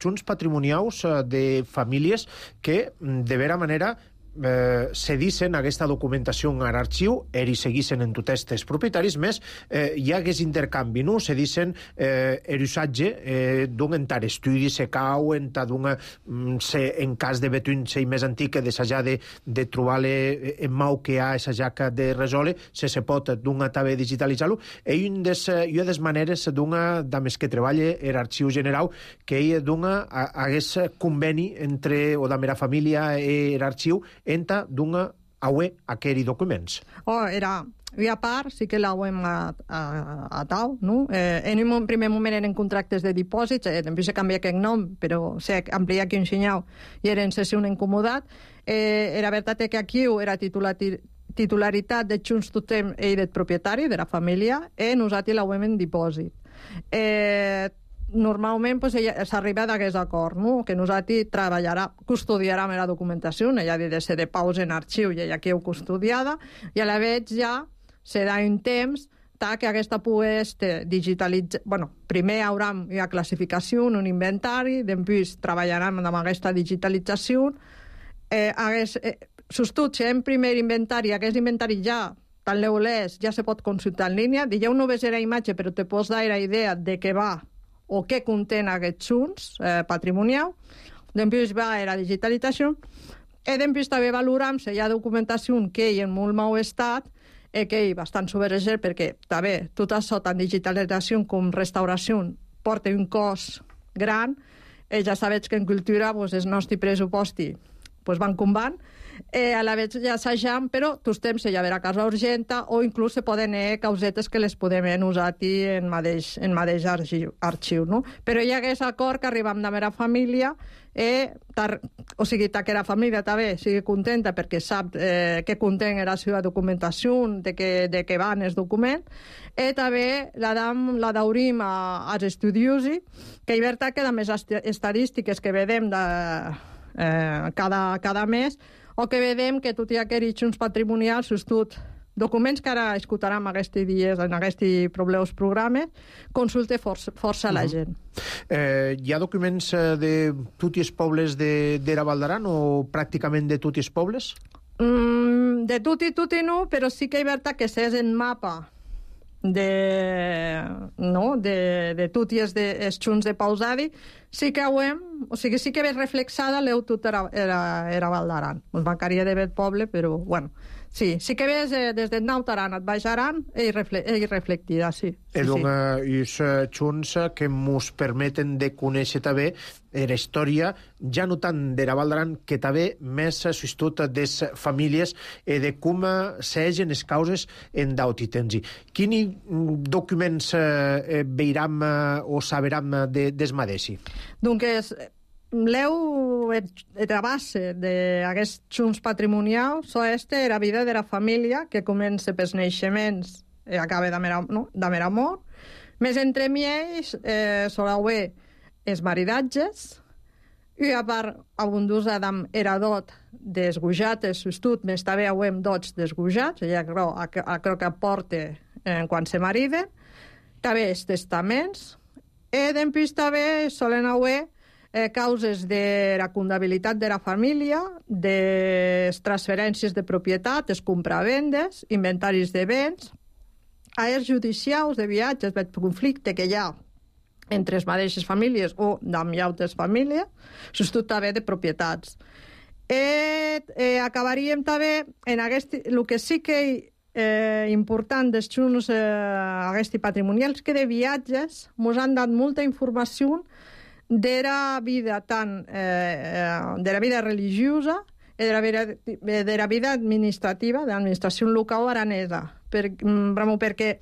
junts patrimonials de famílies que de vera manera cedissin aquesta documentació a l'arxiu i seguissin en tots els propietaris, més hi ha aquest intercanvi, no? Cedissin l'usatge d'un entar estudi, se cau, en cas de Betuin ser més antic, d'assajar de trobar-le en mau que hi ha assajar de resoldre, se pot d'una també digitalitzar-lo, i una de les maneres de més que treballa l'arxiu general, que hi hagués conveni entre o de la família i l'arxiu enta d'una aué aquells documents. Era I a part, sí que l'hauem atau, no? En un primer moment eren contractes de dipòsits, després se canvia aquest nom, però se amplia aquí un xinyau i era en sessió un incomodat. Era veritat que aquí era titularitat de Junts tothom i del propietari, de la família, i nosaltres l'hauem en dipòsit. Normalment s'arriba d'aquest acord, no? Que nosaltres custodiarem la documentació, ella ha de ser de pausa en arxiu i ella que heu custodiada, i a la vegada ja se da un temps que aquesta pugui digitalitzar. Bueno, primer hi haurà una classificació, un inventari, després treballarem amb aquesta digitalització. Sostut, si en primer inventari, aquest inventari ja, tant l'eulès, ja se pot consultar en línia. Ja no ves la imatge, però te pots dar la idea de què va o què contén aquests junts patrimonials. Després va a la digitalització. I després també valorem si hi ha documentació que hi ha en molt mau estat, que hi bastant subvergent, perquè també tot això, tant digitalització com restauració, porta un cost gran. Ja sabeu que en cultura el nostre pressupost van com van. A la vegada ja assajam, però tots temps hi haurà casa urgenta o inclús se poden causetes que les podem usar en mateix arxiu, no? Però hi ha aquest acord que arribem de mera família, o sigui, que la família també sigui contenta perquè sap què contén la seva documentació, de què van els documents, i també la daurim als estudiosi, que hi veritat que amb les estadístiques que vedem cada mes, o que vedem que tot i aquests junts patrimonials, documents que ara escoltarem aquests dies en aquests programes, consulte força la gent. Hi ha documents de tots els pobles d'Era Val d'Aran o pràcticament de tots els pobles? De tot i no, però sí que hi veritat que s'és en mapa de tot i els junts de pausadi, sí que sí que ve reflexada l'eu tot era Val d'Aran. Us mancaria de ver poble, però, bueno, sí que ves des del Naut Aran et baixaran i reflectida, sí. Els junts que ens permeten de conèixer també la història, ja no tant d'Era Val d'Aran, que també més s'estut des famílies de com s'egen les causes en d'autitensi. Quins documents veiram o saberam des madeixi? Doncs l'eu la base d'aquests junts patrimonials és la vida de la família, que comença pels naixements i acaba de mera mort. Més entre ells soleu els maridatges, i a part abundós Adam era dot desgujats, sostut, més també hem dots desgujats, ja crec que aporta quan se mariden, també els testaments, i després també solen haver causes de la comptabilitat de la família, de transferències de propietat, les compravendes, inventaris de béns, airs judicials de viatges, de conflicte que hi ha entre les mateixes famílies o amb altres famílies, sobretot també de propietats. Acabaríem també en el que sí que important dels junts aquests patrimonials, que de viatges ens han dat molta informació de la vida de la vida religiosa i de la vida administrativa, de l'administració local aranesa, perquè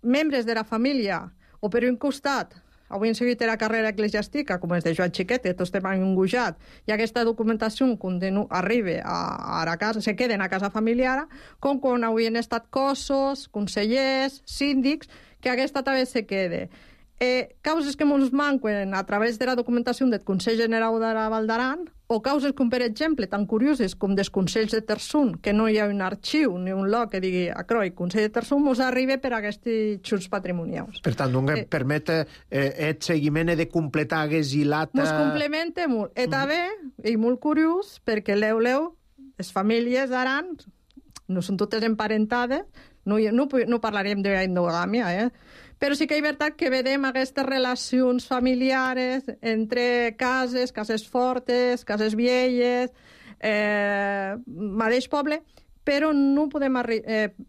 membres de la família, o per un costat avui han seguit la carrera eclesiàstica, com és de Joan Xiquet, que tots estem engujat, i aquesta documentació arriba a la casa, se queden a casa familiar, com quan avui han estat cossos, consellers, síndics, que aquesta també se quede. Causes que ens manquen a través de la documentació del Consell General de la Val d'Aran, o causes com, per exemple, tan curioses com dels Consells de Terçum, que no hi ha un arxiu ni un lloc que digui Acroi, Consell de Terçum, ens arriba per aquests junts patrimonials. Per tant, permet el seguiment de completar hagués i l'altre... Ens complementa molt. I també, i molt curiós, perquè les famílies d'Aran no són totes emparentades, no parlarem d'endogàmia, però sí que hi ha veritat que vedem aquestes relacions familiares entre cases fortes, cases vieilles, mateix poble, però no podem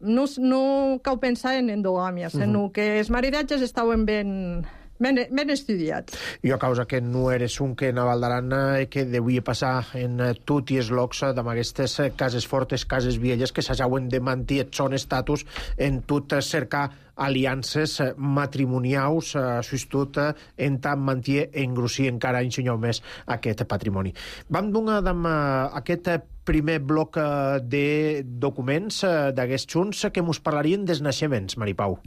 no cal pensar en endogàmia, sinó que els maridatges estaven ben ben estudiats. Jo, a causa que no eres un que a Val d'Aran que devia passar en tot i els locs d'aquestes cases fortes, cases velles, que s'hauen de mantenir son estatus en tot cercar aliances matrimonials, tot en tant manté engrossir encara ensenyar més aquest patrimoni. Vam donar aquest primer bloc de documents d'aquests junts que mos parlarien dels naixements, Maripau.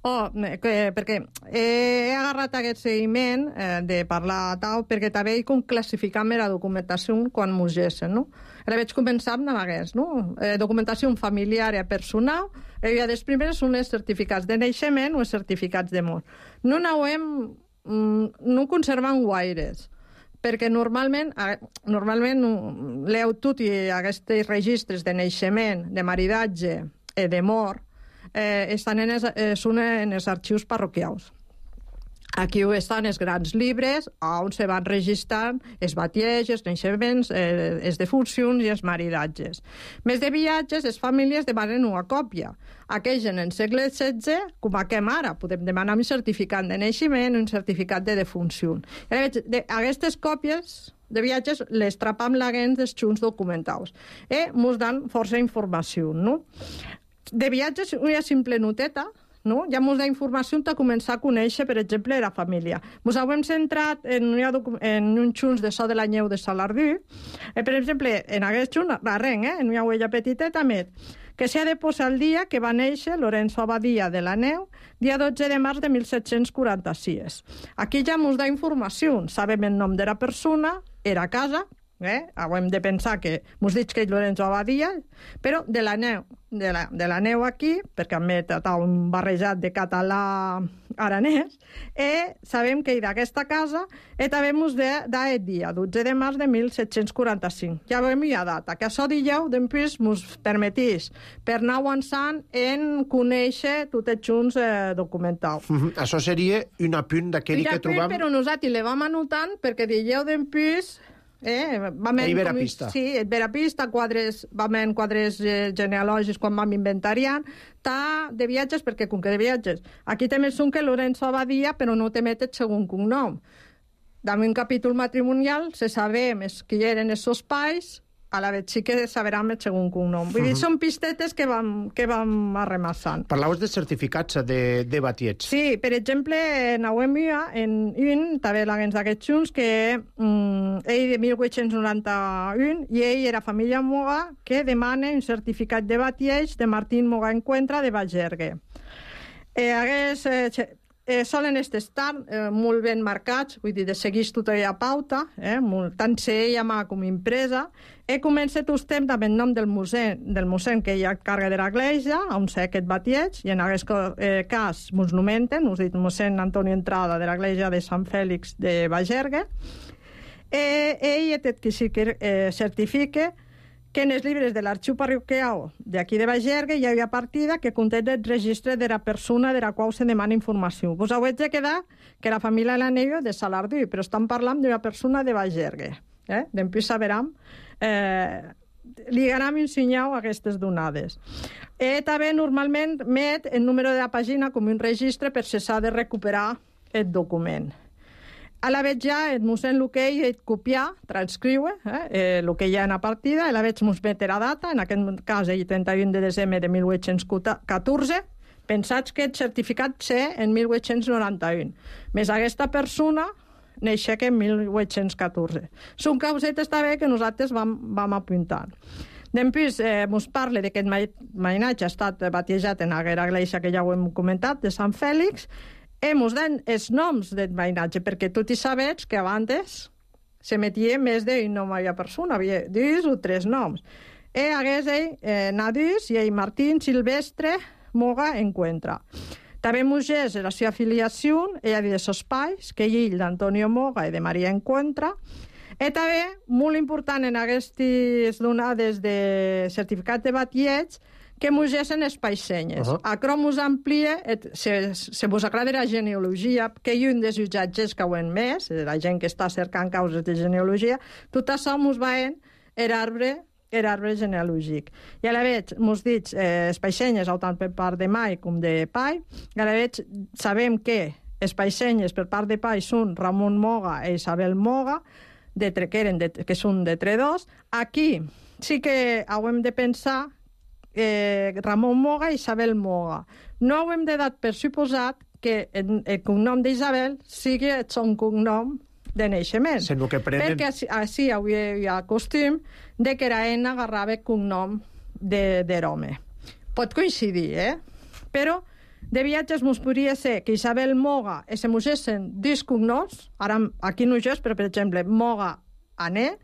Perquè he agarrat aquest seguiment de parlar tau, perquè també com classificam la documentació quan mos gessen, no? Ara vaig començar amb aquest, no? Documentació familiar i personal, i les primeres són els certificats de naixement o els certificats de mort. No conservem guaires, perquè normalment leu tot i aquests registres de naixement, de maridatge i de mort, són en els arxius parroquials. Aquí estan els grans llibres on se van registrant els batiells, els naixements, les defuncions i els maridatges. Més de viatges, les famílies demanen una còpia. Aquells en el segle XVI, com aquem ara, podem demanar un certificat de naixement i un certificat de defunció. Aquestes còpies de viatges les trapam l'agent dels junts documentals. Ens dan força informació, no? De viatges, una simple noteta, no? Ja ens da informació per començar a conèixer, per exemple, la família. Ens hem centrat en un junts de so de la Neu de Salardú. Per exemple, en aquest junt, en una huella petiteta, que s'ha de posar el dia que va néixer Lorenzo Abadia de la Neu, dia 12 de març de 1746. Aquí ja ens da informació. Sabem el nom de la persona, era a casa, hem de pensar que ens dic que és Lorenzo Abadia, però de la Neu aquí, perquè hem met un barrejat de català aranès, sabem que és d'aquesta casa, i també ens da el dia, 12 de març de 1745. Ja veiem la data, que això dijous després ens permetís per anar avançant en conèixer tots els junts documentals. Això seria un apunt d'aquell que trobam... Però nosaltres le vam anotant perquè dijous després... Vera pista. Sí, vera pista, vam en quadres genealògics quan vam inventariant, de viatges, perquè com que de viatges, aquí també són que Lorenzo Abadia, però no te metes segon cognom. Dame un capítol matrimonial, se sabem qui eren els seus pais, a la vegada sí que saberem el segon cognom. Vull dir, són pistetes que vam arremassant. Parlaves de certificats de batiets. Sí, per exemple, en un, també l'agents d'aquests junts, que ell de 1891, i ell era família Moga, que demana un certificat de batiets de Martín Moga Encuentra de Bagergue. Solen estar molt ben marcats, vull dir, de seguir tota la pauta, tant si ella com impresa. Comença tot temps amb el nom del mossèn que hi ha càrrega de l'església, on sé aquest batiets, i en aquest cas ens nomenten, us dic mossèn Antonio Entrada de l'església de Sant Fèlix de Bagergue. Ell certifica que en els llibres de l'arxiu parroquial d'aquí de Bagergue hi havia partida que conté el registre de la persona de la qual se demana informació. Vos heu de quedar que la família de la Neu de Salardú, però estan parlant d'una persona de Bagergue. Després saberem, ligarem i ensenyeu aquestes donades. També normalment met el número de la pàgina com un registre per si s'ha de recuperar el document. A la vegada ja el mossèn Luquei et copiar, transcriure el que hi ha en la partida, a la vegada ens metre la data, en aquest cas el 31 de desembre de 1814, pensats que el certificat sé en 1891. Més aquesta persona neixer que en 1814. Són causetes també que nosaltres vam apuntar. Després ens parla que el mainatge ha estat batejat en aquella església que ja ho hem comentat, de Sant Fèlix. Ens dan els noms del mainatge, perquè tots sabeu que abans se metia més d'un nom a la persona, havia 2 o 3 noms. Hagués ell Nadus i ell Martín Silvestre Moga Encuentra. També mugés la seva afiliació, ella de seus pais, que ell d'Antonio Moga i de Maria Encuentra. També, molt important en aquestes donades de certificat de batiets, que mugesen els paissenyes. Acrò mos amplia, se vos agrada la genealogia, que hi ha un dels jutjatges que ho hem més, la gent que està cercant causes de genealogia, tot això mos va en l'arbre genealògic. I a la vegada, mos dits, els paissenyes, tant per part de mai com de pai, i a la vegada sabem que els paixenyes per part de pai són Ramon Moga i Isabel Moga, que són de Tredòs. Aquí sí que hem de pensar Ramon Moga i Isabel Moga. No hem de dar per suposat que el cognom d'Isabel sigui el son cognom de naixement. Perquè així hi ha costum de que era ena agarrava el cognom de l'home. Pot coincidir, però de viatges mos podria ser que Isabel Moga se mosessin dos cognoms, ara aquí no és, però per exemple Moga Ané,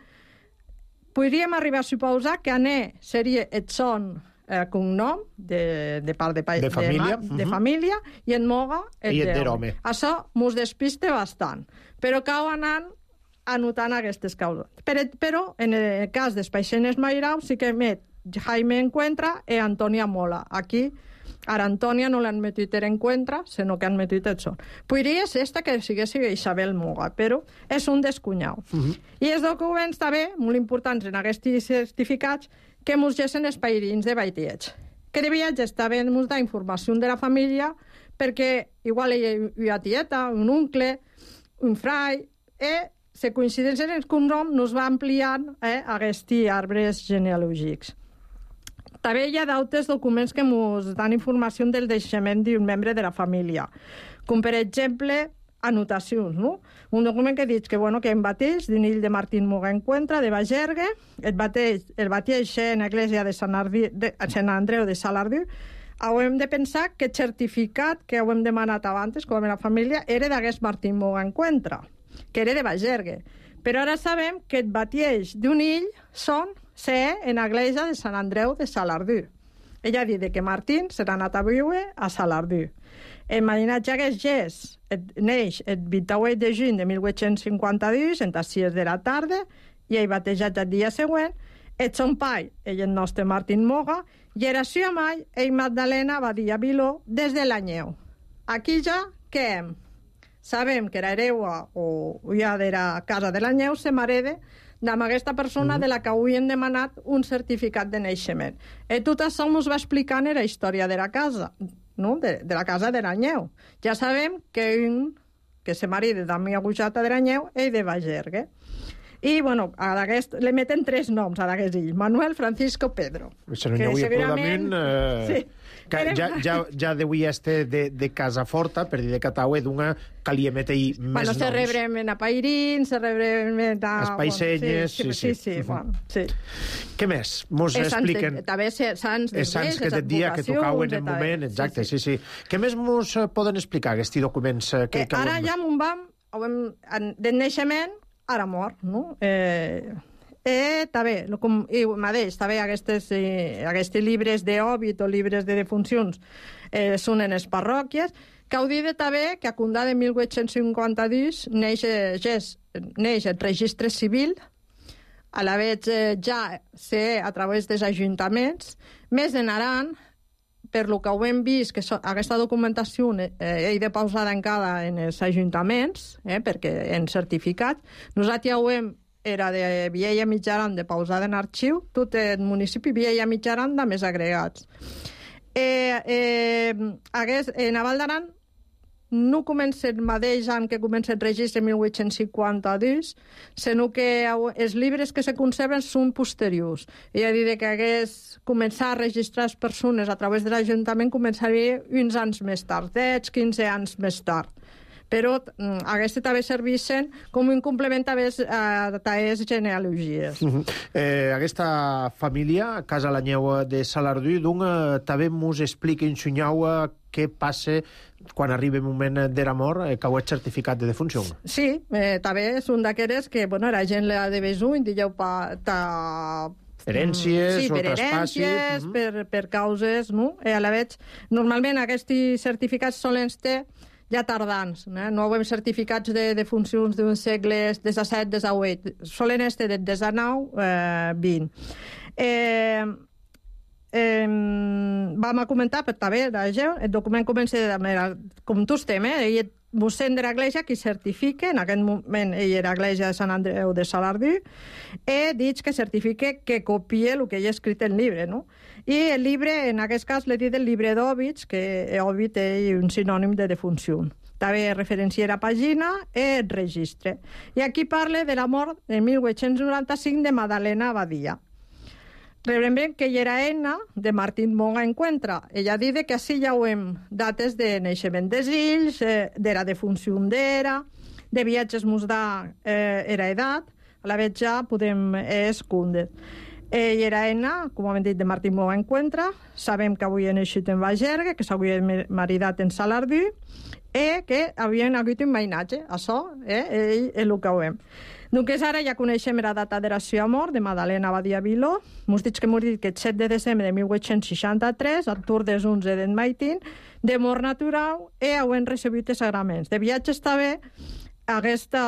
podríem arribar a suposar que Ané seria el son cognom de part de família i en Moga el d'home. Això mos despiste bastant, però cal anar anotant aquestes causes. Però en el cas dels paixenes mairaus sí que met Jaime Encuentra i Antònia Mola. Aquí ara Antònia no l'han metit en Encuentra, sinó que han metit el son. Podria ser que sigués Isabel Moga, però és un descunyau. I els documents també, molt importants en aquests certificats, que mos gessen els pairins de Baitiets. Que de viatges també mos da informació de la família, perquè igual hi ha tieta, un oncle, un frai, i se coincideixen els cognoms, nos va ampliant aquests arbres genealògics. També hi ha d'altres documents que ens dan informació del naixement d'un membre de la família, com per exemple anotacions, no? Un document que diu que en bateix d'un ill de Martín Moga Encuentra, de Bagergue, el bateix en l'església de Sant Andreu de Salardú. Hem de pensar que el certificat que hem demanat abans, com a la família, era d'aquest Martín Moga Encuentra, que era de Bagergue. Però ara sabem que el bateix d'un ill són en l'església de Sant Andreu de Salardú. Ella ha dit que Martín serà anat a viure a Salardú. El marinatge que es neix el 28 de juny de 1852, en les 6 de la tarda, i ell batejat el dia següent. El son pai, el nostre Martín Moga, i era seva mai, ell Magdalena Badia Viló, des de l'Anyeu. Aquí ja, què? Sabem que era hereua o ja de la casa de l'Anyeu, se m'hereda amb aquesta persona de la que avui hem demanat un certificat de naixement. I tot això ens va explicant la història de la casa, no? De la casa de l'Anyeu. Ja sabem que se marida d'Ami Agujata de l'Anyeu i de Bagergue. I, li meten 3 noms a d'aquest ill. Manuel, Francisco, Pedro. Se no hi havia probablement... Sí. Ja deuia estar de Casa Forta, per dir de Cataue, d'una que li emetei més noms. Se rebremen a Pairín, se rebremen a... Els paissenyes, sí. Què més? Mos expliquen... També sants que et dia que tocauen en moment, exacte, sí. Què més mos poden explicar, aquests documents? Ara ja m'ho vam... Del naixement, ara mort, no? També, mateix, també aquests llibres d'òbit o llibres de defuncions són en les parròquies, que ho dit també que a Condà de 1852 neix el registre civil, a la vegada ja ser a través dels ajuntaments, més en Aran, per lo que ho hem vist, que aquesta documentació he de pausada encara en els ajuntaments, perquè en certificats, nosaltres ja ho hem era de Viella Mitjaran, de pausada en arxiu, tot el municipi Viella Mitjaran de més agregats. En Val d'Aran no comença el mateix any que comença el registre 1852, sinó que els llibres que se conserven són posteriors. I a dir que hagués començar a registrar les persones a través de l'Ajuntament començaria uns anys més tard, 10, 15 anys més tard. Però aquestes també serveixen com un complement a les genealogies. Aquesta família, Casa l'Anyeu de Salardú, també ens explica en Xunyau què passa quan arriba el moment de la mort, que ho és certificat de defunció. Sí, també és un d'aquelles que, la gent l'ha de besull, digueu, herències o traspassi. Per causes, no? A la vegada, normalment aquests certificats solen ser ja tardans, no hem certificats de defuncions d'un segle XVII, XVIII, solen estar del XIX, XX. Vam a comentar, però també, el document comença com tu estem, el mossèn de l'Església qui certifica, en aquest moment ell era l'Església de Sant Andreu de Salardú, i dic que certifica que copia el que hi ha escrit en el llibre, no? I el llibre, en aquest cas, l'he dit el llibre d'òbits, que òbit és un sinònim de defunció. També referencia la pàgina i el registre. I aquí parla de la mort de 1895 de Madalena Badia. Rebrem que ella era Enna de Martín Moga Encuentra. Ella diu que així ja hem dates de naixement dels ills, de la defunció d'era, de viatges mos da era edat, a la vez ja podem escondre. Ell era Enna, com hem dit, de Martín Moga Encuentra. Sabem que avui ha naixut en Bagergue, que s'havia maridat en Salardú, i que havien hagut un mainatge. Això, ell és el que ho hem. Doncs ara ja coneixem la data de la seva mort, de Madalena Badia Viló. M'ho dic que morir el 7 de desembre de 1863, al tour des 11 d'en Maitín, de mort natural, i han rebut els sagraments. De viatges també, aquesta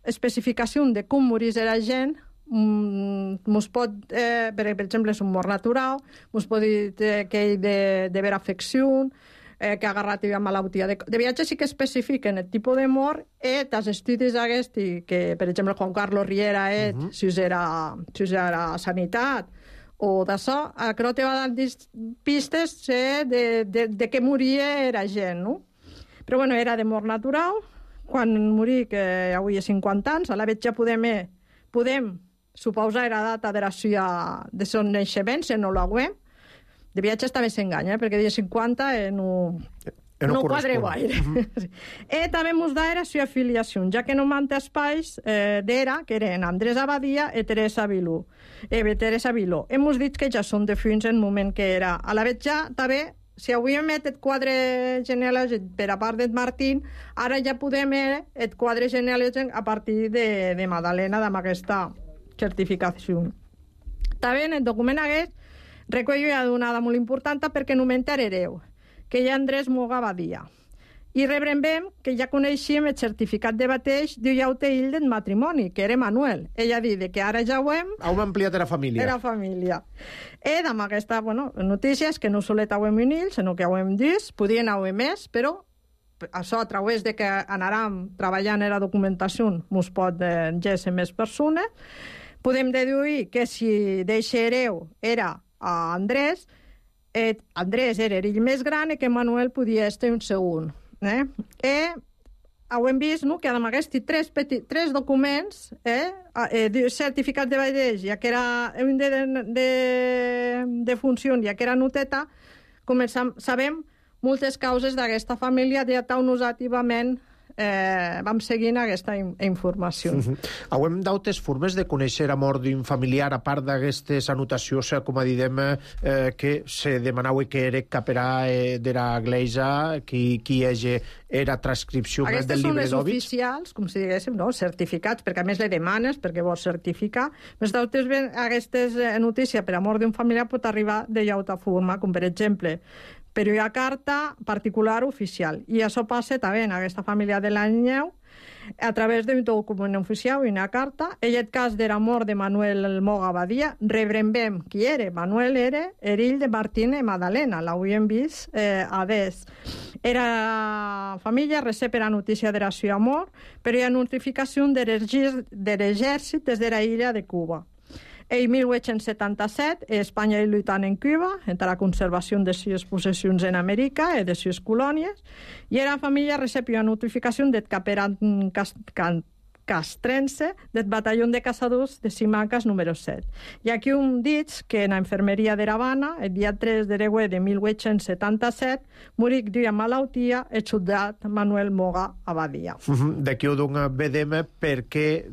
especificació de com morís la gent, mos pot, per exemple, és un mort natural, mos pot dir que ell de vera afecció, que ha agarrat una malaltia. De viatges sí que especifiquen el tipus de mort i els estudis aquests, que, per exemple, Juan Carlos Riera, si us era sanitat, o d'això, crec que va dar pistes de què moria la gent, no? Però, bueno, era de mort natural. Quan morí, que avui és 50 anys, a la vegada ja podem suposar la data de son naixement, si no l'haguem. De viatges també s'enganya, perquè dia 50 no quadre gaire. I també ens da la seva afiliació, ja que no manté espais d'era, que eren Andrés Abadia i Teresa Viló. Hem dit que ja són defunts en el moment que era. A la vegada ja també, si avui hem el quadre genealògic per a part de Martín, ara ja podem el quadre genealògic a partir de Madalena, amb aquesta certificació. També en el document aquest recull una donada molt important perquè no m'enterareu, que hi ha Andrés Moga Badia. I rebrem que ja coneixíem el certificat de bateig d'un llaute ill del matrimoni, que era Manuel. Ella diu que ara ja ho hem... Heu ampliat la família. Era família. I amb aquesta notícia és que no solet ho hem un ill, sinó que ho hem dit, podien haver més, però això a través de que anàrem treballant en la documentació mos pot llegir més persones. Podem deduir que si d'eixe hereu era a Andrés era ell més gran i que Manuel podia estar un segon. I ho hem vist que amb aquests tres documents, certificat de bateig, ja que era un de funció, ja que era noteta, sabem moltes causes d'aquesta família ja tan usativament vam seguint aquesta informació. Hem d'altres formes de conèixer la mort d'un familiar, a part d'aquestes anotacions, com diem, que se demanava que era caperà de l'Església, qui era transcripció del llibre d'Òbits. Aquestes són les oficials, com si diguéssim, certificats, perquè a més le demanes, perquè vols certificar. Més d'altres, aquestes notícies per a mort d'un familiar pot arribar de llauta forma, com per exemple, per una carta particular oficial. I això passa també en aquesta família de l'Anyeu, a través d'un document oficial i una carta. En el cas de la mort de Manuel Moga Badia, rebrem qui era. Manuel era erill de Martín i Madalena, l'havíem vist a des. Era família recep la notícia de la seva mort, però hi ha notificació de l'exèrcit des de la illa de Cuba. En 1877, Espanya lluitant en Cuba, entre la conservació de les possessions en Amèrica i de les colònies, i la família recep una notificació del caperan castrense del batalló de caçadors de Simancas número 7. I aquí dit que en la infermeria de l'Havana, el dia 3 de l'Egüe de 1877, morí d'una malaltia el soldat Manuel Moga Abadia. D'aquí ho vedem perquè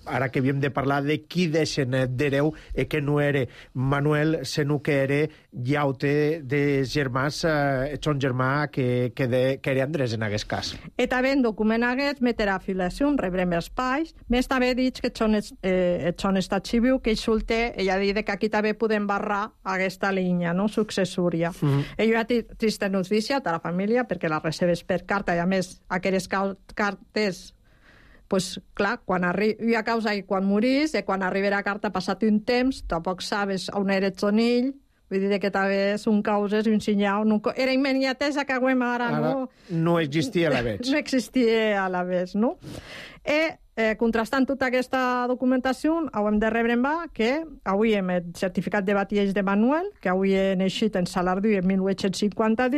ara que havíem de parlar de qui deixen d'hereu que no era Manuel, sinó que era llaute de germans, son germà que era Andrés en aquest cas. I també en document aquest meterà afiliació, rebrem espais, més també dit que són estat civil, que ell solter, ella dit que aquí també podem barrar aquesta línia successòria. Ell ha trista notícia a la família perquè la recebes per carta i a més aquelles cartes pues, clar, quan hi ha causa i quan morís, quan arriba la carta passat un temps, tampoc sabes on era el sonill, vull dir que també són causes, un senyal, era immediatesa que ara no existia a la vez. No existia a la vez, no? contrastant tota aquesta documentació, hem de rebre en va que avui hem el certificat de batiells de Manuel, que avui he naixit en Salardú en 1850,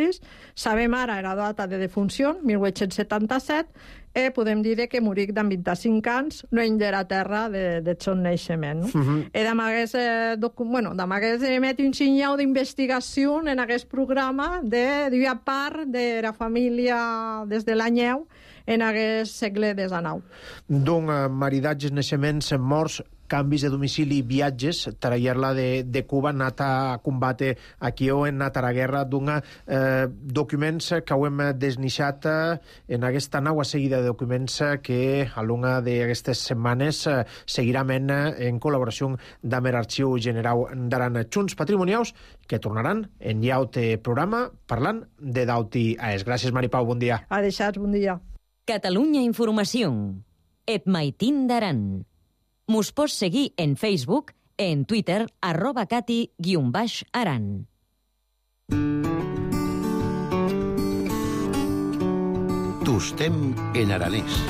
sabem ara la data de defunció, 1877, i podem dir que moric d'en 25 anys, lluny de la terra de son naixement. I d'amagués emet un sinyal d'investigació en aquest programa de part de la família des de l'anyeu en aquest segle XIX. Doncs maridatges, naixements, morts, canvis de domicili, viatges, tarallar-la de Cuba, anat a combate aquí o en anat a la guerra, documents que ho hem desnixat en aquesta nova seguida de documents que a l'una d'aquestes setmanes seguirem en col·laboració amb l'Arxiu General d'Aran. Junts patrimonials que tornaran en llaut programa parlant de Dauti AES. Gràcies, Mari Pau, bon dia. A deixats, bon dia. Catalunya Informació. Et Maitín d'Aran. Mos pots seguir en Facebook, en Twitter, @cati_aran. Tostem en aranès.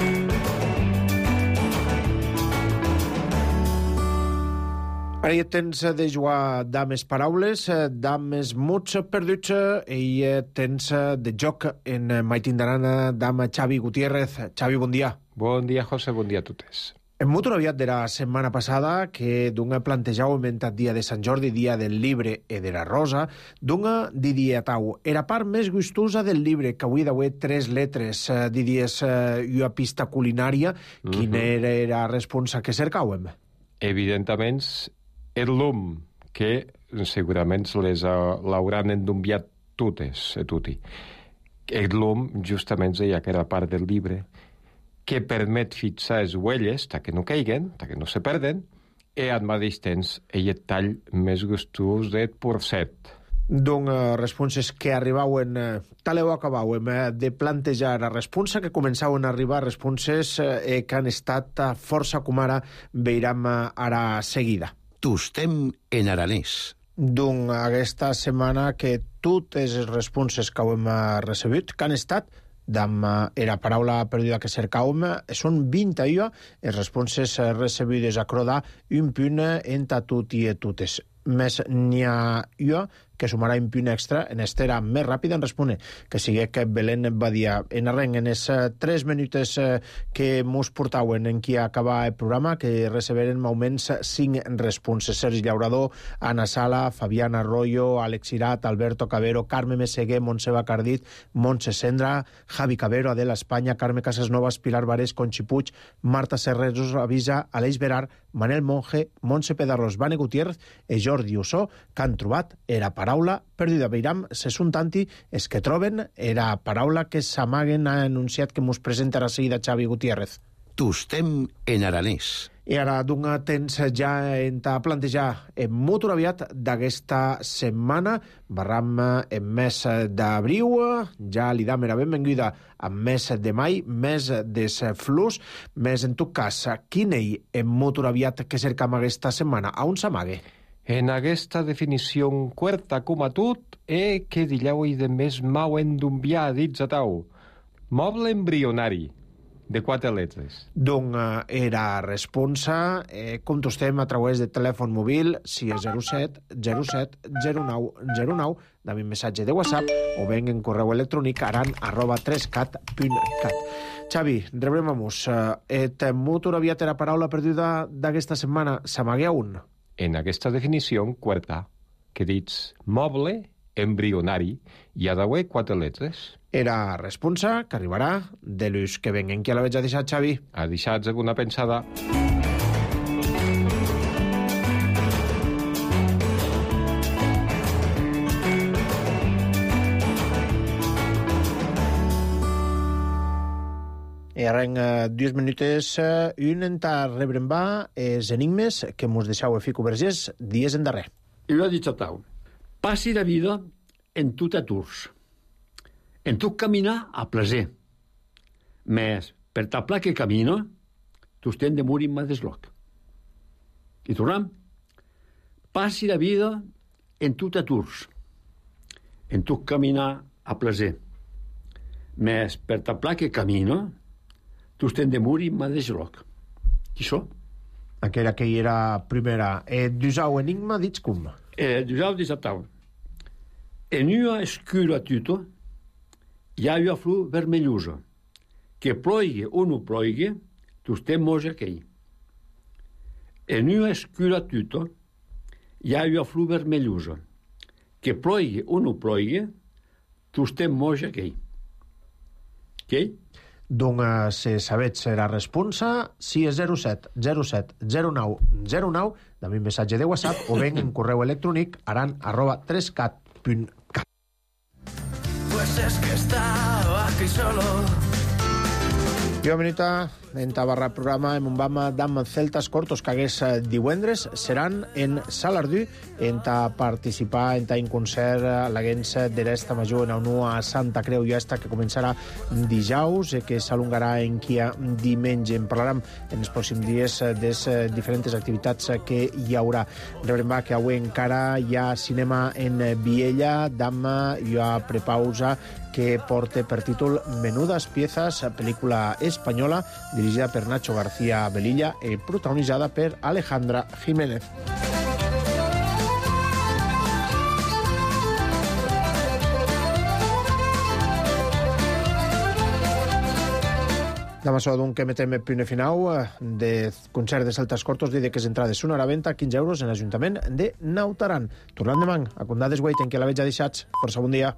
Ara ja tens de jugar dames paraules, dames muts perduts, i tens de joc en Maitín d'Aran, dama Xavi Gutiérrez. Xavi, bon dia. Bon dia, José, bon dia a totes. En molt aviat de la setmana passada que d'un plantejau inventat dia de Sant Jordi, dia del llibre i de la rosa, d'un diria tau. Era part més gustosa del llibre, que avui d'avui 3 letres, diries una pista culinària, quina era la responsa que cercàvem? Evidentment, el lum, que segurament les l'hauran endumbiat totes, tutti. El lum, justament, ja que era part del llibre, que permet fixar les huelles, que no caiguen, que no se perden, i al mateix temps el tall més gustós del porcet. Doncs responses que arribaven, tal o acabaven de plantejar la responsa, que començaven a arribar responses que han estat força com ara veurem ara seguida. Tostem en aranès. Doncs aquesta setmana que totes les responses que hem recebut, que han estat era paraula perduda que cercàvem, són 21 les responses recebudes a Crodà, un punt entre tot i totes. Més n'hi ha una que sumarà un punt extra en estera més ràpida en respondre, que sigui que Belén Badia. En arrenc, en els 3 minuts que mos portaven en qui acaba el programa, que receberen almenys 5 responses. Sergi Llaurador, Anna Sala, Fabián Arroyo, Àlex Irat, Alberto Cabero, Carme Meseguer, Montse Bacardit, Montse Sendra, Javi Cabero, Adela Espanya, Carme Casasnovas, Pilar Varés, Conchi Puig, Marta Serreros Avisa, Aleix Berar, Manel Monge, Montse Pedarros, Vane Gutiérrez i Jordi Ossó, que han trobat era paraula perduda. Veiram, se són tanti els que troben era paraula que s'amaguen, ha anunciat que mos presenta a seguida Xavi Gutiérrez. Tostem en aranès. I ara d'un temps ja en plantejar molt aviat d'aquesta setmana, barram en mes d'abril, ja li dam la benvinguda en mes de mai, mes des flus, més en tot cas, quin ell en molt aviat que cercam aquesta setmana? A on s'amague? En aquesta definició quarta com a tot, que dilleu i de més mau endumbiar dits a tau. Moble embrionari, de 4 letres. Doncs era responsa, contestem a través de telèfon mòbil, si és 07 07 09 09, dame un missatge de WhatsApp o ben en correu electrònic aran@3cat.cat. Xavi, rebrem-nos. Et molt aviat era paraula perduda d'aquesta setmana. S'amague un? En aquesta definició quarta, que dits moble embrionari, hi ha d'haver 4 letres. Era responsa que arribarà de l'ús que venguen. Qui la veig a deixar, Xavi? A deixar alguna pensada. I arrenc 2 minuts, un entà rebrem va els enigmes que mos deixau a Fico Vergés dies en darrer. I ho ha dit a tau. Passi la vida en tot aturs. En tot caminar a plaer. Més, per ta pla que camino, t'ostén de morir en desloc. I tornem. Passi la vida en tot aturs. En tot caminar a plaer. Més, per ta pla que camino, t'ostén de morir en desloc. Qui so? Aquella que hi era primera. Dusau enigma, dits cum. Dusau disatau. En una escura tuto hi ha una flor vermellosa. Que ploigui o no ploigui, tu estem moja aquell. En una escura tuto hi ha una flor vermellosa. Que ploigui o no ploigui, tu estem moja aquell. Ok? Doncs, si sabets la responsa, si és 07 07 09 09, també un missatge de WhatsApp o ben en correu electrònic aran@3cat.cat. Pues es que estaba aquí solo. Jo, Benita, en tabarra programa en un bama d'am celtas cortos que hagués divendres seran en Salardú en ta participar en ta en concert a l'Aguens de l'Esta Major en a Santa Creu i Esta que començarà dijous que s'alongarà en quia diumenge. En parlarem en els pròxims dies de les diferents activitats que hi haurà. Rebrem que avui encara hi ha cinema en Viella, d'am hi ha prepausa que porta per títol Menudas piezas, pel·lícula espanyola dirigida per Nacho García Velilla i protagonitzada per Alejandra Jiménez. Demà això d'un que metem el punt final de concert de Celtas Cortos de que les entrades són a la venda 15 euros en l'Ajuntament de Naut Aran. Tornant demà a Condades Guaiten, que la veig ja deixats. Força bon dia.